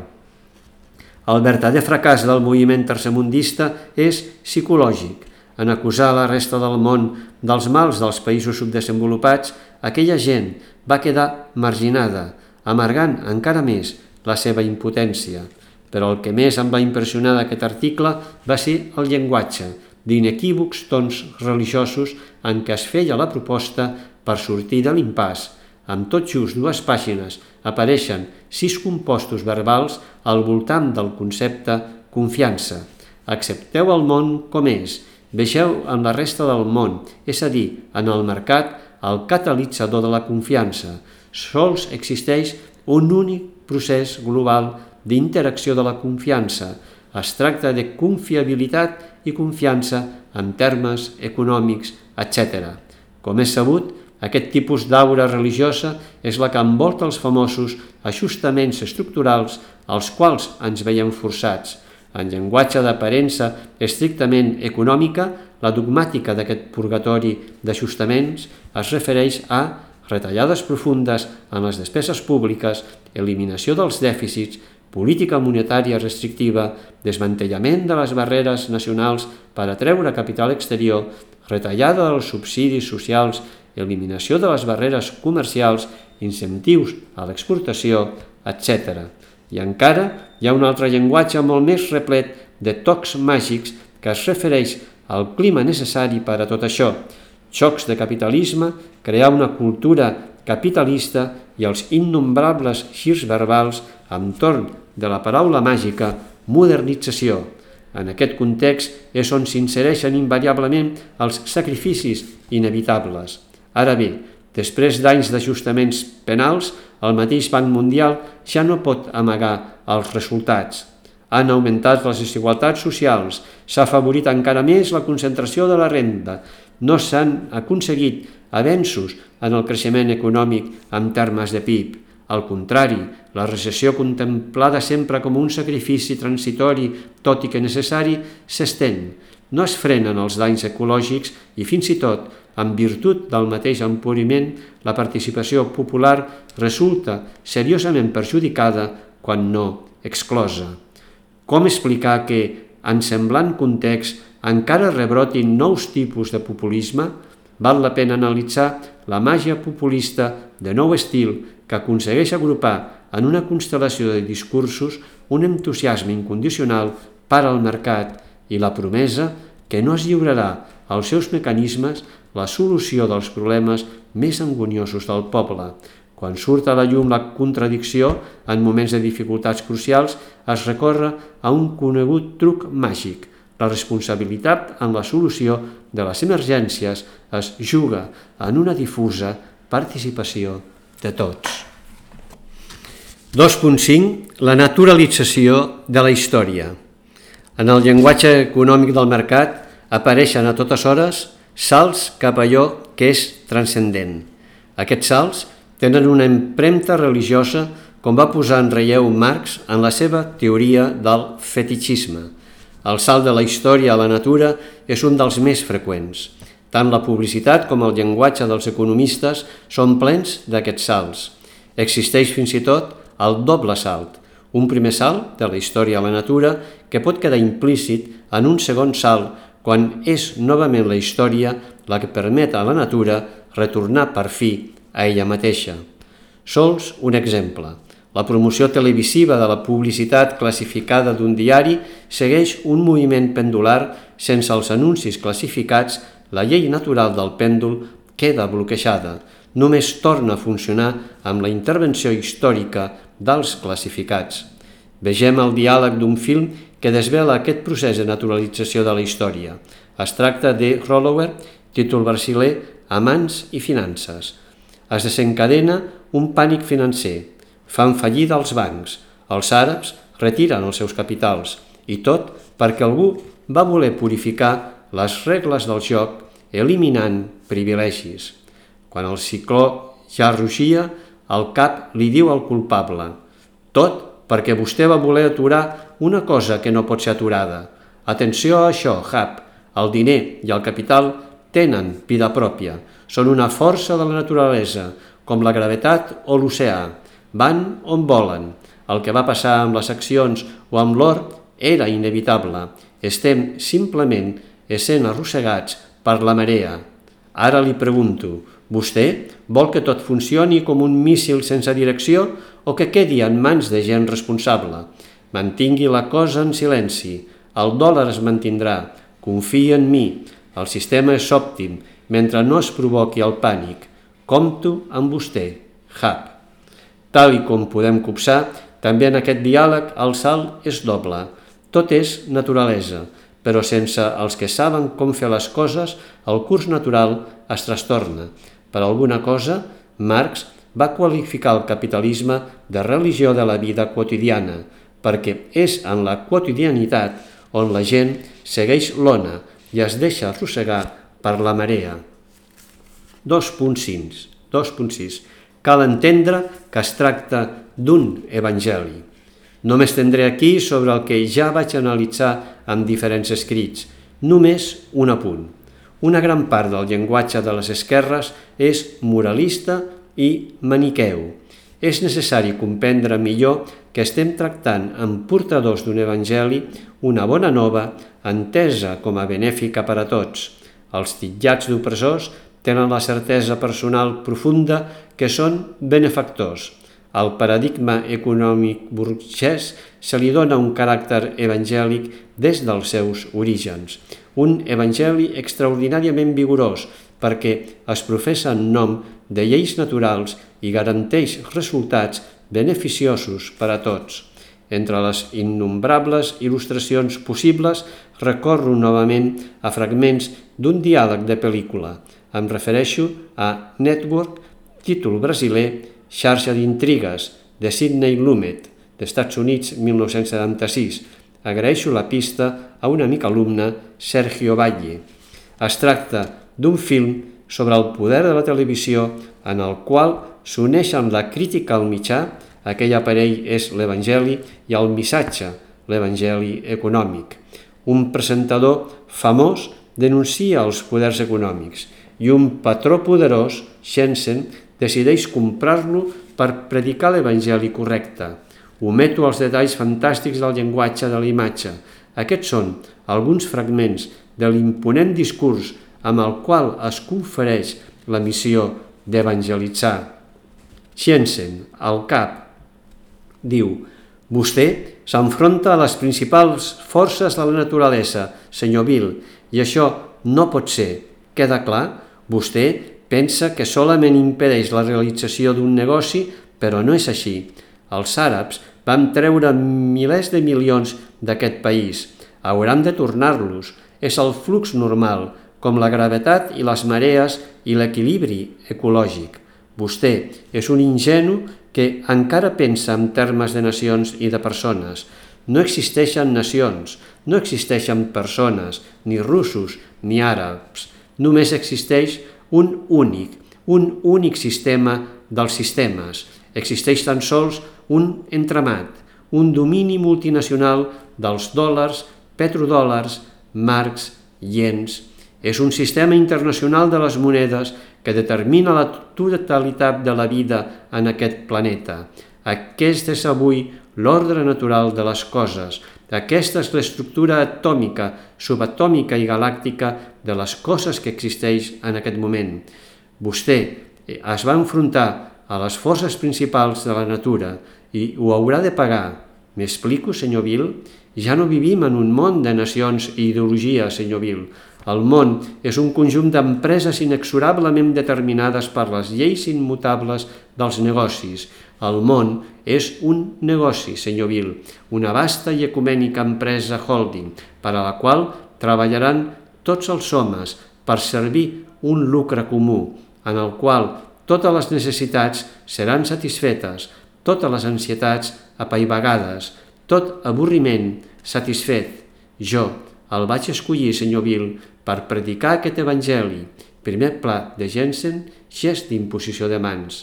El verdader fracàs del moviment tercermundista és psicològic. En acusar la resta del món dels mals dels països subdesenvolupats, aquella gent va quedar marginada, amargant encara més la seva impotència. Però el que més em va impressionar d'aquest article va ser el llenguatge, d'inequívocs tons religiosos en què es feia la proposta per sortir de l'impàs. Amb tot just dues pàgines apareixen sis compostos verbals al voltant del concepte confiança. Accepteu el món com és, vegeu en la resta del món, és a dir, en el mercat, el catalitzador de la confiança. Sols existeix un únic procés global d'interacció de la confiança. Es tracta de confiabilitat i confiança en termes econòmics, etcètera. Com és sabut, aquest tipus d'aura religiosa és la que envolta els famosos ajustaments estructurals als quals ens veiem forçats. En llenguatge d'aparença estrictament econòmica, la dogmàtica d'aquest purgatori d'ajustaments es refereix a retallades profundes en les despeses públiques, eliminació dels dèficits, política monetària restrictiva, desmantellament de les barreres nacionals per atreure capital exterior, retallada dels subsidis socials, eliminació de les barreres comercials, incentius a l'exportació, etcètera. I encara hi ha un altre llenguatge molt més replet de tocs màgics que es refereix al clima necessari per a tot això. Xocs de capitalisme, crear una cultura capitalista i els innombrables girs verbals entorn de la paraula màgica modernització. En aquest context és on s'insereixen invariablement els sacrificis inevitables. Ara bé, després d'anys d'ajustaments penals, el mateix Banc Mundial ja no pot amagar els resultats. Han augmentat les desigualtats socials, s'ha afavorit encara més la concentració de la renda, no s'han aconseguit avenços en el creixement econòmic en termes de P I B. Al contrari, la recessió contemplada sempre com un sacrifici transitori, tot i que necessari, s'estén. No es frenen els danys ecològics i fins i tot, en virtut del mateix empobriment, la participació popular resulta seriosament perjudicada, quan no exclosa. Com explicar que, en semblant context, encara rebrotin nous tipus de populisme? Val la pena analitzar la màgia populista de nou estil que aconsegueix agrupar en una constel·lació de discursos un entusiasme incondicional per al mercat i la promesa que no es lliurarà als seus mecanismes la solució dels problemes més angoniosos del poble. Quan surt a la llum la contradicció, en moments de dificultats crucials, es recorre a un conegut truc màgic. La responsabilitat en la solució de les emergències es juga en una difusa participació de tots. dos punt cinc. La naturalització de la història. En el llenguatge econòmic del mercat apareixen a totes hores salts cap a allò que és transcendent. Aquests salts tenen una empremta religiosa, com va posar en relleu Marx en la seva teoria del fetitxisme. El salt de la història a la natura és un dels més freqüents. Tant la publicitat com el llenguatge dels economistes són plens d'aquests salts. Existeix fins i tot el doble salt, un primer salt de la història a la natura que pot quedar implícit en un segon salt quan és novament la història la que permet a la natura retornar per fi a ella mateixa. Sols un exemple. La promoció televisiva de la publicitat classificada d'un diari segueix un moviment pendular. Sense els anuncis classificats, la llei natural del pèndol queda bloquejada. Només torna a funcionar amb la intervenció històrica dels classificats. Vegem el diàleg d'un film que desvela aquest procés de naturalització de la història. Es tracta de Rollover, títol brasiler, Amants i finances. Es desencadena un pànic financer. Fan fallida els bancs. Els àrabs retiren els seus capitals. I tot perquè algú va voler purificar les regles del joc eliminant privilegis. Quan el cicló ja rugia, el cap li diu al culpable: Tot perquè vostè va voler aturar una cosa que no pot ser aturada. Atenció a això, Hap. El diner i el capital tenen vida pròpia. Són una força de la naturalesa, com la gravetat o l'oceà. Van on volen. El que va passar amb les accions o amb l'or era inevitable. Estem simplement essent arrossegats per la marea. Ara li pregunto, vostè vol que tot funcioni com un míssil sense direcció o que quedi en mans de gent responsable? Mantingui la cosa en silenci. El dòlar es mantindrà. Confia en mi. El sistema és òptim mentre no es provoqui el pànic. Compto amb vostè, Hap. Tal i com podem copsar, també en aquest diàleg el salt és doble. Tot és naturalesa, però sense els que saben com fer les coses, el curs natural es trastorna. Per alguna cosa, Marx va qualificar el capitalisme de religió de la vida quotidiana, perquè és en la quotidianitat on la gent segueix l'ona i es deixa arrossegar per la marea. dos punt sis. Cal entendre que es tracta d'un evangeli. No m'estendré aquí sobre el que ja vaig analitzar en diferents escrits. Només un apunt. Una gran part del llenguatge de les esquerres és moralista i maniqueu. És necessari comprendre millor que estem tractant amb portadors d'un evangeli una bona nova entesa com a benèfica per a tots. Els titllats d'opressors tenen la certesa personal profunda que són benefactors. Al paradigma econòmic burgès se li dona un caràcter evangèlic des dels seus orígens. Un evangeli extraordinàriament vigorós perquè es professa en nom de lleis naturals i garanteix resultats beneficiosos per a tots. Entre les innombrables il·lustracions possibles recorro novament a fragments d'un diàleg de pel·lícula. Em refereixo a Network, títol brasiler, Xarxa d'intrigues, de Sidney Lumet, d'Estats Units, mil nou-cents setanta-sis. Agraeixo la pista a un amic alumne, Sergio Valle. Es tracta d'un film sobre el poder de la televisió en el qual s'uneixen la crítica al mitjà, aquell aparell és l'Evangeli, i el missatge, l'Evangeli econòmic. Un presentador famós denuncia els poders econòmics i un patró poderós, Shenzhen, decideix comprar-lo per predicar l'Evangeli correcte. Ometo els detalls fantàstics del llenguatge de la imatge. Aquests són alguns fragments de l'imponent discurs amb el qual es confereix la missió d'evangelitzar. Shenzhen, al cap, diu: vostè s'enfronta a les principals forces de la naturalesa, senyor Bill, i això no pot ser. Queda clar? Vostè pensa que solament impedeix la realització d'un negoci, però no és així. Els àrabs van treure milers de milions d'aquest país. Hauran de tornar-los. És el flux normal, com la gravetat i les marees i l'equilibri ecològic. Vostè és un ingenu que encara pensa en termes de nacions i de persones. No existeixen nacions, no existeixen persones, ni russos ni àrabs. Només existeix un únic, un únic sistema dels sistemes. Existeix tan sols un entramat, un domini multinacional dels dòlars, petrodòlars, marcs, iens. És un sistema internacional de les monedes que determina la totalitat de la vida en aquest planeta. Aquest és avui l'ordre natural de les coses. Aquesta és l'estructura atòmica, subatòmica i galàctica de les coses que existeix en aquest moment. Vostè es va enfrontar a les forces principals de la natura i ho haurà de pagar. M'explico, senyor Bill? Ja no vivim en un món de nacions i ideologies, senyor Bill. El món és un conjunt d'empreses inexorablement determinades per les lleis immutables dels negocis. El món és un negoci, senyor Bill, una vasta i ecumènica empresa holding, per a la qual treballaran tots els homes per servir un lucre comú, en el qual totes les necessitats seran satisfetes, totes les ansietats apaivagades, tot avorriment satisfet. Jo el vaig escollir, senyor Bill, per predicar aquest evangeli. Primer pla de Jensen, gest d'imposició de mans.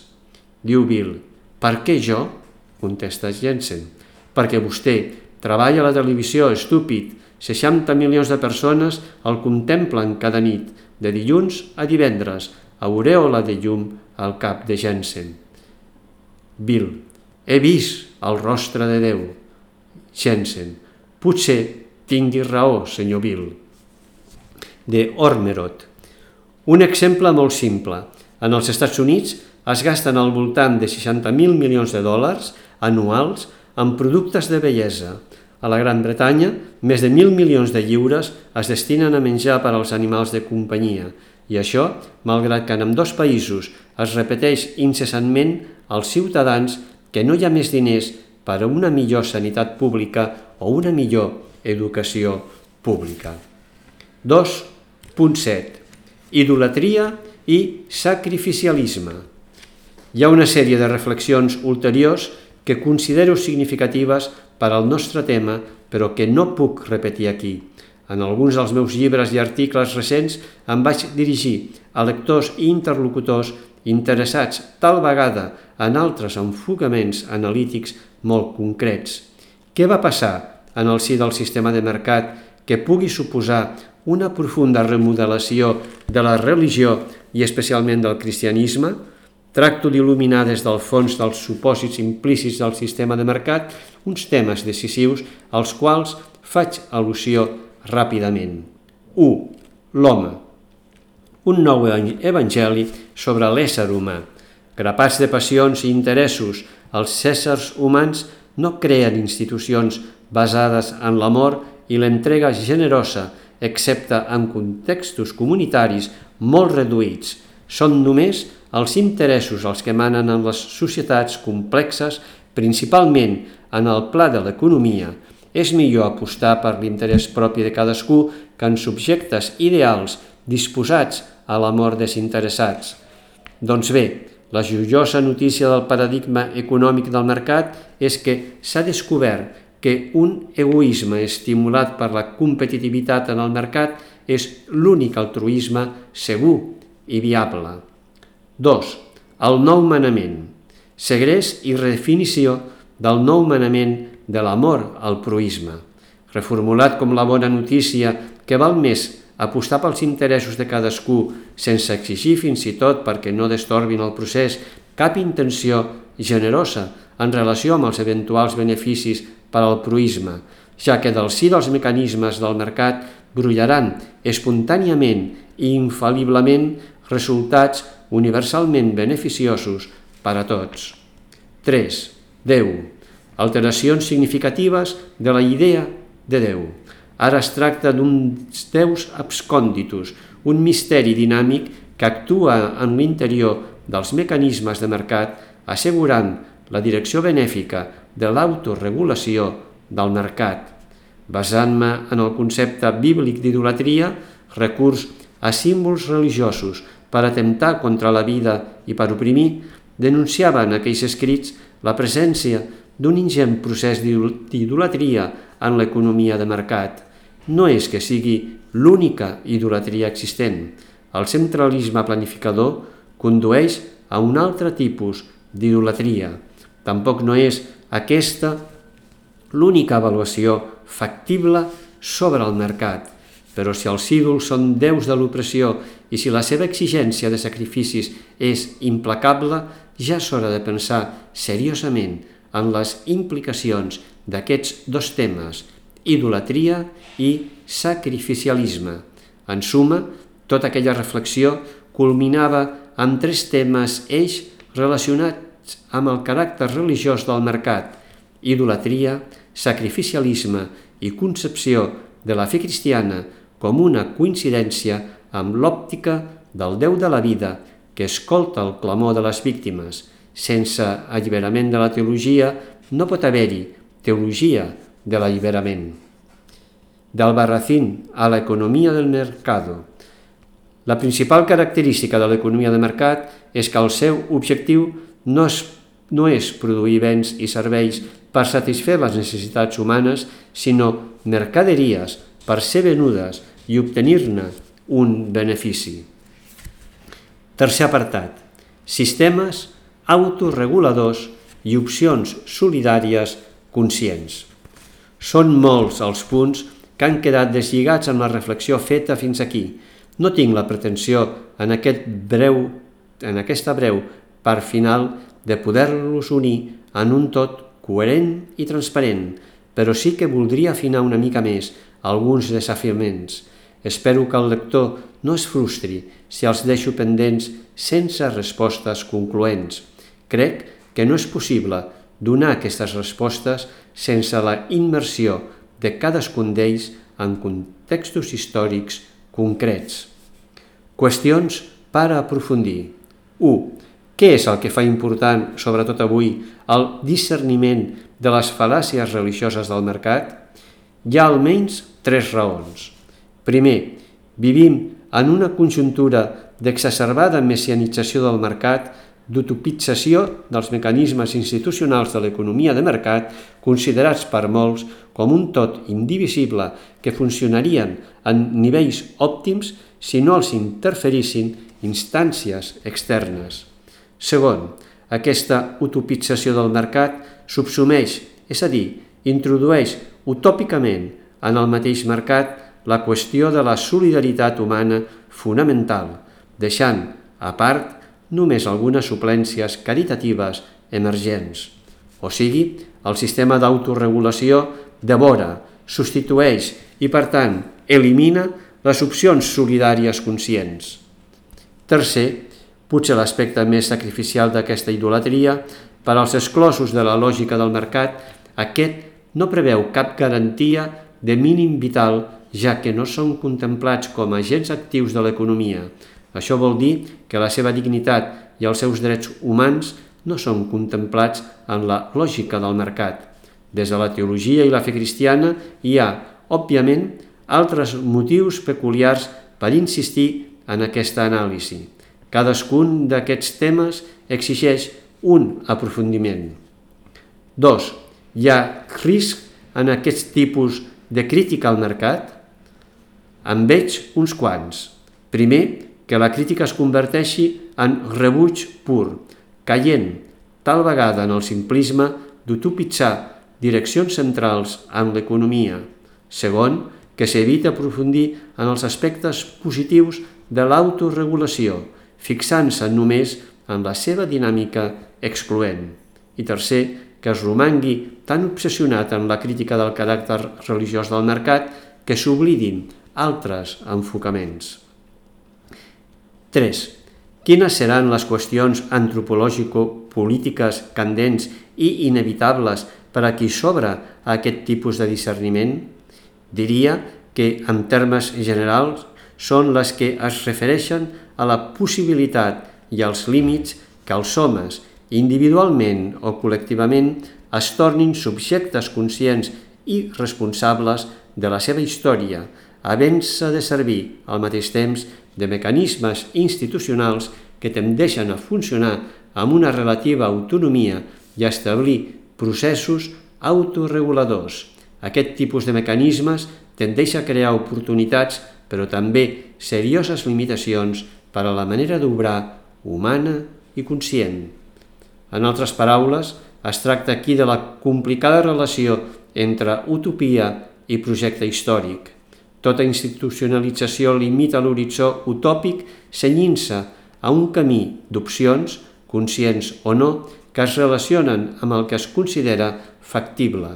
Diu Bill: per què jo? contesta Jensen. Perquè vostè treballa a la televisió, estúpid. seixanta milions de persones el contemplen cada nit, de dilluns a divendres, aurèola de llum al cap de Jensen. Bill, he vist el rostre de Déu. Jensen, potser tingui raó, senyor Bill. De Ormerod. Un exemple molt simple. En els Estats Units es gasten al voltant de seixanta mil milions de dòlars anuals en productes de bellesa. A la Gran Bretanya, més de mil milions de lliures es destinen a menjar per als animals de companyia, i això, malgrat que en ambdós països es repeteix incessantment als ciutadans que no hi ha més diners per a una millor sanitat pública o una millor educació pública. dos punt set. Idolatria i sacrificialisme. Hi ha una sèrie de reflexions ulteriors que considero significatives per al nostre tema, però que no puc repetir aquí. En alguns dels meus llibres i articles recents em vaig dirigir a lectors i interlocutors interessats tal vegada en altres enfocaments analítics molt concrets. Què va passar en el si del sistema de mercat que pugui suposar una profunda remodelació de la religió i especialment del cristianisme? Tracto d'il·luminar des del fons dels supòsits implícits del sistema de mercat uns temes decisius als quals faig al·lusió ràpidament. u. L'home. Un nou evangeli sobre l'ésser humà. Grapats de passions i interessos, els éssers humans no creen institucions basades en l'amor i l'entrega generosa, excepte en contextos comunitaris molt reduïts. Són només els interessos els que manen en les societats complexes, principalment en el pla de l'economia. És millor apostar per l'interès propi de cadascú que en subjectes ideals disposats a l'amor desinteressats. Doncs bé, la joiosa notícia del paradigma econòmic del mercat és que s'ha descobert que un egoisme estimulat per la competitivitat en el mercat és l'únic altruisme segur i viable. dos. El nou manament. Segrest i redefinició del nou manament de l'amor al proisme. Reformulat com la bona notícia que val més apostar pels interessos de cadascú sense exigir fins i tot perquè no destorbin el procés cap intenció generosa en relació amb els eventuals beneficis per al proisme, ja que del si dels mecanismes del mercat brollaran espontàniament i infal·liblement resultats universalment beneficiosos per a tots. tres. Déu. Alteracions significatives de la idea de Déu. Ara es tracta d'uns déus abscònditus, un misteri dinàmic que actua en l'interior dels mecanismes de mercat, assegurant la direcció benèfica de l'autoregulació del mercat. Basant-me en el concepte bíblic d'idolatria, recurs a símbols religiosos per atemptar contra la vida i per oprimir, denunciava en aquells escrits la presència d'un ingent procés d'idolatria en l'economia de mercat. No és que sigui l'única idolatria existent. El centralisme planificador condueix a un altre tipus d'idolatria. Tampoc no és aquesta l'única avaluació factible sobre el mercat. Però si els ídols són déus de l'opressió i si la seva exigència de sacrificis és implacable, ja és hora de pensar seriosament en les implicacions d'aquests dos temes, idolatria i sacrificialisme. En suma, tota aquella reflexió culminava amb tres temes eix relacionats amb el caràcter religiós del mercat: idolatria, sacrificialisme i concepció de la fe cristiana com una coincidència amb l'òptica del Déu de la vida que escolta el clamor de les víctimes. Sense alliberament de la teologia no pot haver-hi teologia de l'alliberament. D'Albarracín a l'economia del mercado. La principal característica de l'economia de mercat és que el seu objectiu no és, no és produir béns i serveis per satisfer les necessitats humanes, sinó mercaderies per ser venudes i obtenir-ne un benefici. Tercer apartat. Sistemes autoreguladors i opcions solidàries conscients. Són molts els punts que han quedat deslligats amb la reflexió feta fins aquí. No tinc la pretensió en, aquest breu, en aquesta breu part final de poder-los unir en un tot coherent i transparent, però sí que voldria afinar una mica més alguns desafiaments. Espero que el lector no es frustri si els deixo pendents sense respostes concloents. Crec que no és possible donar aquestes respostes sense la immersió de cadascun d'ells en contextos històrics concrets. Qüestions per aprofundir. u. Què és el que fa important, sobretot avui, el discerniment de les fal·làcies religioses del mercat? Hi ha almenys tres raons. Primer, vivim en una conjuntura d'exacerbada messianització del mercat, d'utopització dels mecanismes institucionals de l'economia de mercat, considerats per molts com un tot indivisible que funcionarien en nivells òptims si no els interferissin instàncies externes. Segon, aquesta utopització del mercat subsumeix, és a dir, introdueix utòpicament en el mateix mercat la qüestió de la solidaritat humana fonamental, deixant a part només algunes suplències caritatives emergents. O sigui, el sistema d'autoregulació devora, substitueix i, per tant, elimina les opcions solidàries conscients. Tercer, potser l'aspecte més sacrificial d'aquesta idolatria, per als exclosos de la lògica del mercat, aquest no preveu cap garantia de mínim vital, ja que no són contemplats com a agents actius de l'economia. Això vol dir que la seva dignitat i els seus drets humans no són contemplats en la lògica del mercat. Des de la teologia i la fe cristiana hi ha, òbviament, altres motius peculiars per insistir en aquesta anàlisi. Cadascun d'aquests temes exigeix un aprofundiment. Dos. Hi ha risc en aquest tipus de crítica al mercat? En veig uns quants. Primer, que la crítica es converteixi en rebuig pur, caient tal vegada en el simplisme d'utopitzar direccions centrals en l'economia. Segon, que s'evita aprofundir en els aspectes positius de l'autoregulació, fixant-se només en la seva dinàmica excloent. I tercer, que es romangui tan obsessionat en la crítica del caràcter religiós del mercat que s'oblidin altres enfocaments. tres. Quines seran les qüestions antropològico-polítiques candents i inevitables per a qui s'obre a aquest tipus de discerniment? Diria que, en termes generals, són les que es refereixen a la possibilitat i als límits que els homes, individualment o col·lectivament, es tornin subjectes conscients i responsables de la seva història, havent-se de servir al mateix temps de mecanismes institucionals que tendeixen a funcionar amb una relativa autonomia i a establir processos autoreguladors. Aquest tipus de mecanismes tendeix a crear oportunitats, però també serioses limitacions per a la manera d'obrar humana i conscient. En altres paraules, es tracta aquí de la complicada relació entre utopia i projecte històric. Tota institucionalització limita l'horitzó utòpic cenyint-se a un camí d'opcions, conscients o no, que es relacionen amb el que es considera factible.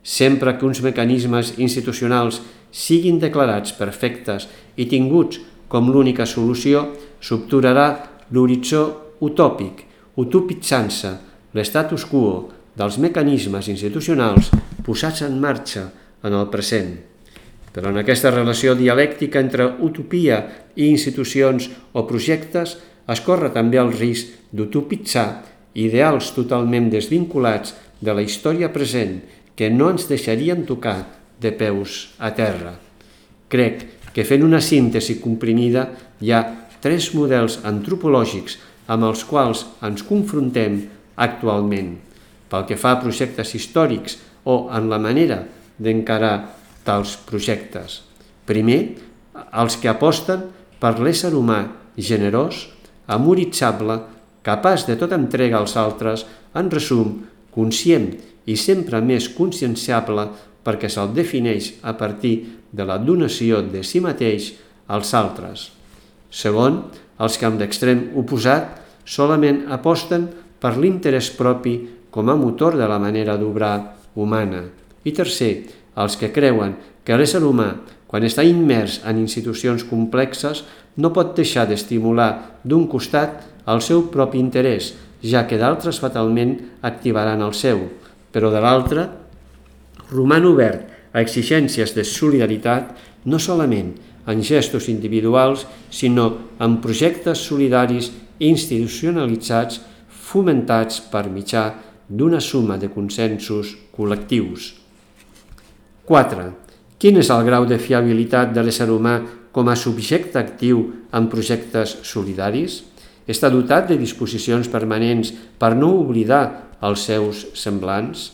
Sempre que uns mecanismes institucionals siguin declarats perfectes i tinguts com l'única solució, s'obturarà l'horitzó utòpic, utopitzant-se l'estatus quo dels mecanismes institucionals posats en marxa en el present. Però en aquesta relació dialèctica entre utopia i institucions o projectes es corre també el risc d'utopitzar ideals totalment desvinculats de la història present que no ens deixarien tocar de peus a terra. Crec que fent una síntesi comprimida hi ha tres models antropològics amb els quals ens confrontem actualment, pel que fa a projectes històrics o en la manera d'encarar tals projectes. Primer, els que aposten per l'ésser humà generós, amoritzable, capaç de tota entrega als altres, en resum, conscient i sempre més conscienciable perquè se'l defineix a partir de la donació de si mateix als altres. Segon, els que amb l'extrem oposat solament aposten per l'interès propi com a motor de la manera d'obrar humana. I tercer, els que creuen que l'ésser humà, quan està immers en institucions complexes, no pot deixar d'estimular d'un costat el seu propi interès, ja que d'altres fatalment activaran el seu, però de l'altre roman obert a exigències de solidaritat no solament en gestos individuals, sinó en projectes solidaris institucionalitzats fomentats per mitjà d'una suma de consensos col·lectius. quatre. Quin és el grau de fiabilitat de l'ésser humà com a subjecte actiu en projectes solidaris? Està dotat de disposicions permanents per no oblidar els seus semblants?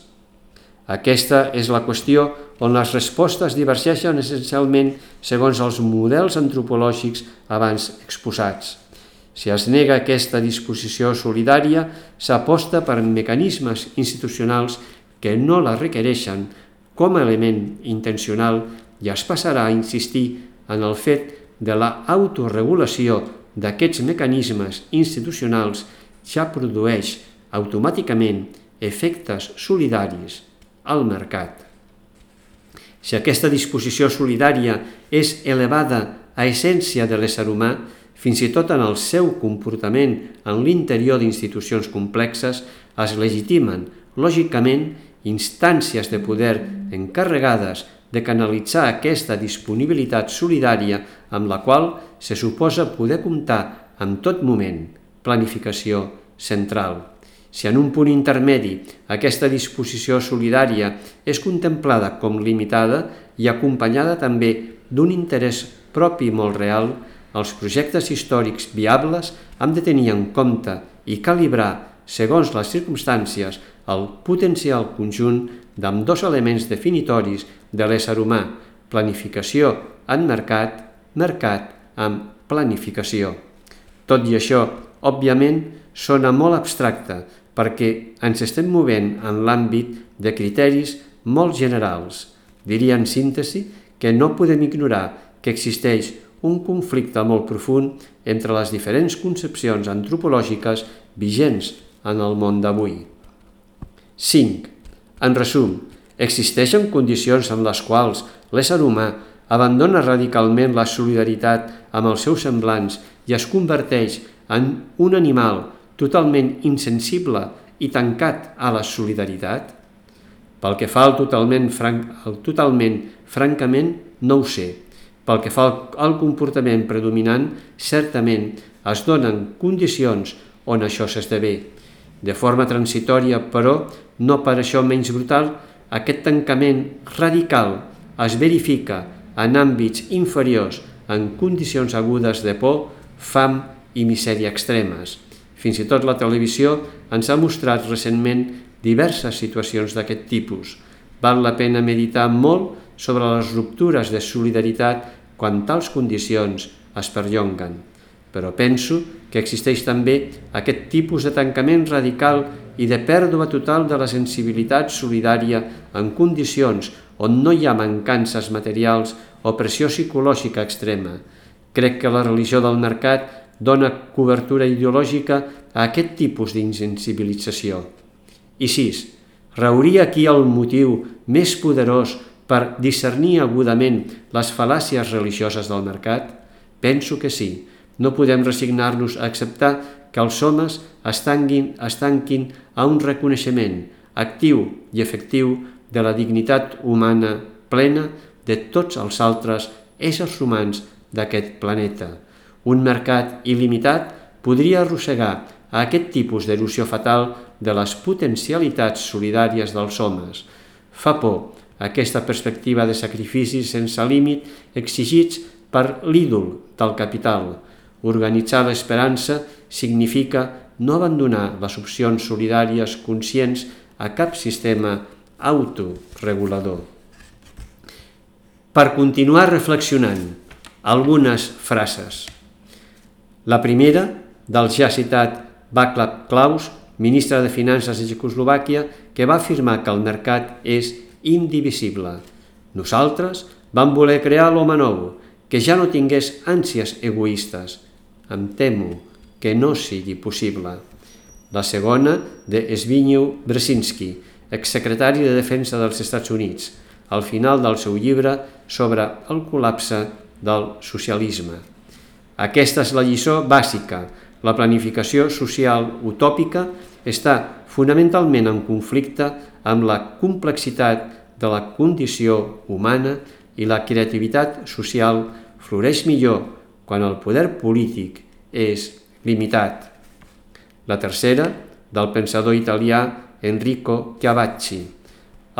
Aquesta és la qüestió on les respostes divergeixen essencialment segons els models antropològics abans exposats. Si es nega aquesta disposició solidària, s'aposta per mecanismes institucionals que no la requereixen com a element intencional i es passarà a insistir en el fet de la autoregulació d'aquests mecanismes institucionals ja produeix automàticament efectes solidaris al mercat. Si aquesta disposició solidària és elevada a essència de l'ésser humà, fins i tot en el seu comportament en l'interior d'institucions complexes, es legitimen, lògicament, instàncies de poder encarregades de canalitzar aquesta disponibilitat solidària amb la qual se suposa poder comptar en tot moment, planificació central. Si en un punt intermedi aquesta disposició solidària és contemplada com limitada i acompanyada també d'un interès propi molt real, els projectes històrics viables han de tenir en compte i calibrar, segons les circumstàncies, el potencial conjunt d'ambdós elements definitoris de l'ésser humà, planificació en mercat, mercat amb planificació. Tot i això, òbviament, sona molt abstracte perquè ens estem movent en l'àmbit de criteris molt generals. Diria en síntesi que no podem ignorar que existeix un conflicte molt profund entre les diferents concepcions antropològiques vigents en el món d'avui. cinc. En resum, existeixen condicions en les quals l'ésser humà abandona radicalment la solidaritat amb els seus semblants i es converteix en un animal totalment insensible i tancat a la solidaritat? Pel que fa al totalment, franc, al totalment francament, no ho sé. Pel que fa al, al comportament predominant, certament es donen condicions on això s'esdevé. De forma transitòria, però, no per això menys brutal, aquest tancament radical es verifica en àmbits inferiors en condicions agudes de por, fam i misèria extremes. Fins i tot la televisió ens ha mostrat recentment diverses situacions d'aquest tipus. Val la pena meditar molt sobre les ruptures de solidaritat quan tals condicions es perllonguen. Però penso que existeix també aquest tipus de tancament radical i de pèrdua total de la sensibilitat solidària en condicions on no hi ha mancances materials o pressió psicològica extrema. Crec que la religió del mercat dona cobertura ideològica a aquest tipus d'insensibilització. I sis. Rauria aquí el motiu més poderós per discernir agudament les fal·làcies religioses del mercat? Penso que sí. No podem resignar-nos a acceptar que els homes es tanquin, es tanquin a un reconeixement actiu i efectiu de la dignitat humana plena de tots els altres éssers humans d'aquest planeta. Un mercat il·limitat podria arrossegar a aquest tipus d'erosió fatal de les potencialitats solidàries dels homes. Fa por aquesta perspectiva de sacrificis sense límit exigits per l'ídol del capital. Organitzar l'esperança significa no abandonar les opcions solidàries conscients a cap sistema autoregulador. Per continuar reflexionant, algunes frases. La primera, del ja citat Václav Klaus, ministre de Finances de Txecoslovàquia, que va afirmar que el mercat és indivisible. Nosaltres vam voler crear l'home nou, que ja no tingués ànsies egoistes. Em temo que no sigui possible. La segona, de Zbigniew Brzezinski, exsecretari de Defensa dels Estats Units, al final del seu llibre sobre el col·lapse del socialisme. Aquesta és la lliçó bàsica. La planificació social utòpica està fonamentalment en conflicte amb la complexitat de la condició humana i la creativitat social floreix millor quan el poder polític és limitat. La tercera, del pensador italià Enrico Chiavacci.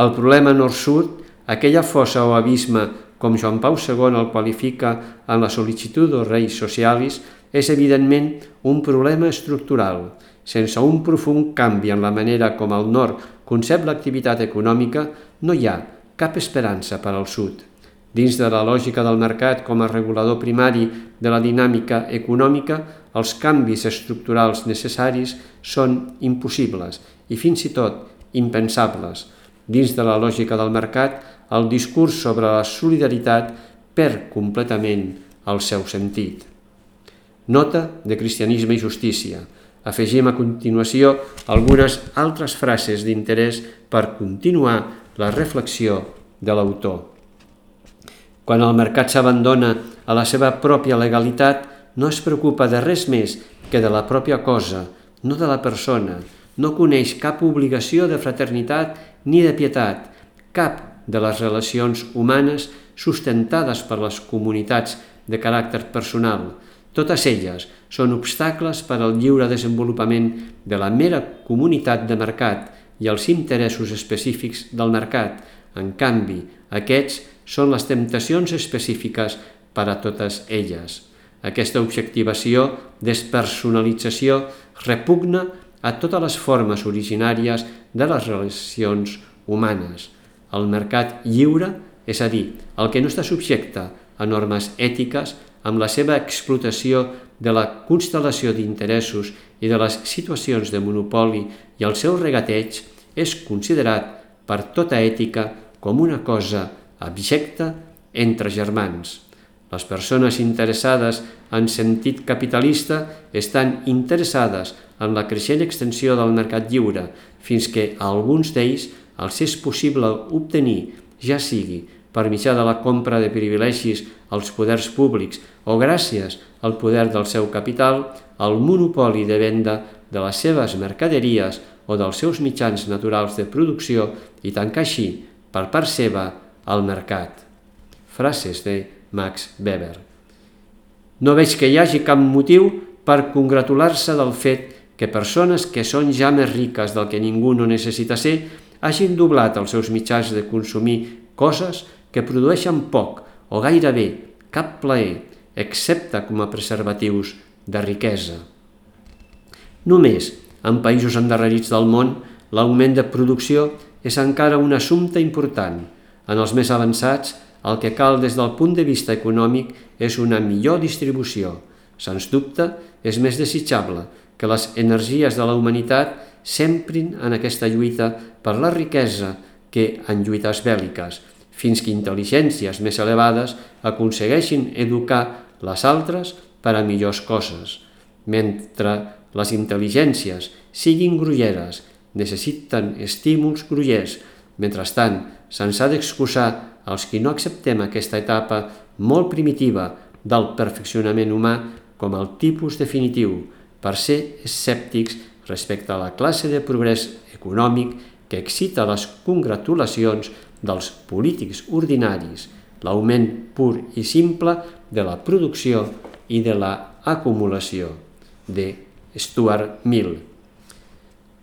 El problema nord-sud, aquella fossa o abisme, com Joan Pau segon el qualifica en la Sollicitudo Rei Socialis, és evidentment un problema estructural. Sense un profund canvi en la manera com el nord concep l'activitat econòmica, no hi ha cap esperança per al sud. Dins de la lògica del mercat com a regulador primari de la dinàmica econòmica, els canvis estructurals necessaris són impossibles i fins i tot impensables. Dins de la lògica del mercat, el discurs sobre la solidaritat perd completament el seu sentit. Nota de Cristianisme i Justícia. Afegim a continuació algunes altres frases d'interès per continuar la reflexió de l'autor. Quan el mercat s'abandona a la seva pròpia legalitat, no es preocupa de res més que de la pròpia cosa, no de la persona, no coneix cap obligació de fraternitat ni de pietat, cap de les relacions humanes sustentades per les comunitats de caràcter personal. Totes elles són obstacles per al lliure desenvolupament de la mera comunitat de mercat i els interessos específics del mercat. En canvi, aquests són les temptacions específiques per a totes elles. Aquesta objectivació, despersonalització, repugna a totes les formes originàries de les relacions humanes. El mercat lliure, és a dir, el que no està subjecte a normes ètiques, amb la seva explotació de la constel·lació d'interessos i de les situacions de monopoli i el seu regateig, és considerat per tota ètica com una cosa abjecta entre germans. Les persones interessades en sentit capitalista estan interessades en la creixent extensió del mercat lliure, fins que a alguns d'ells els és possible obtenir, ja sigui per mitjà de la compra de privilegis als poders públics o gràcies al poder del seu capital, el monopoli de venda de les seves mercaderies o dels seus mitjans naturals de producció i tancar així, per part seva, el mercat. Frases de Max Weber. No veig que hi hagi cap motiu per congratular-se del fet que persones que són ja més riques del que ningú no necessita ser hagin doblat els seus mitjans de consumir coses que produeixen poc o gairebé cap plaer, excepte com a preservatius de riquesa. Només en països endarrerits del món, l'augment de producció és encara un assumpte important. En els més avançats, el que cal des del punt de vista econòmic és una millor distribució. Sens dubte, és més desitjable que les energies de la humanitat s'emprin en aquesta lluita per la riquesa que en lluites bèl·liques, fins que intel·ligències més elevades aconsegueixin educar les altres per a millors coses. Mentre les intel·ligències siguin grolleres, necessiten estímuls grollers. Mentrestant, se'ns ha d'excusar els qui no acceptem aquesta etapa molt primitiva del perfeccionament humà com el tipus definitiu, per ser escèptics respecte a la classe de progrés econòmic que excita les congratulacions dels polítics ordinaris, l'augment pur i simple de la producció i de l'acumulació, de Stuart Mill.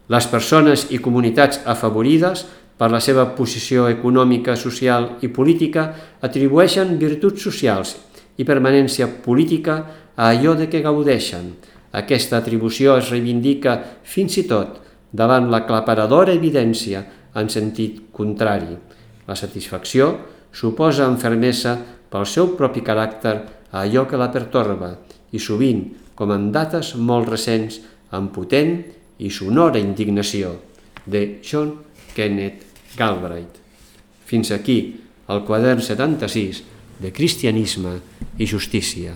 Les persones i comunitats afavorides per la seva posició econòmica, social i política atribueixen virtuts socials i permanència política a allò de què gaudeixen. Aquesta atribució es reivindica fins i tot davant la claparadora evidència en sentit contrari. La satisfacció suposa amb fermesa pel seu propi caràcter a allò que la pertorba i sovint, com en dates molt recents, amb potent i sonora indignació, de John Kenneth Galbraith. Fins aquí el quadern setanta-sis de Cristianisme i Justícia.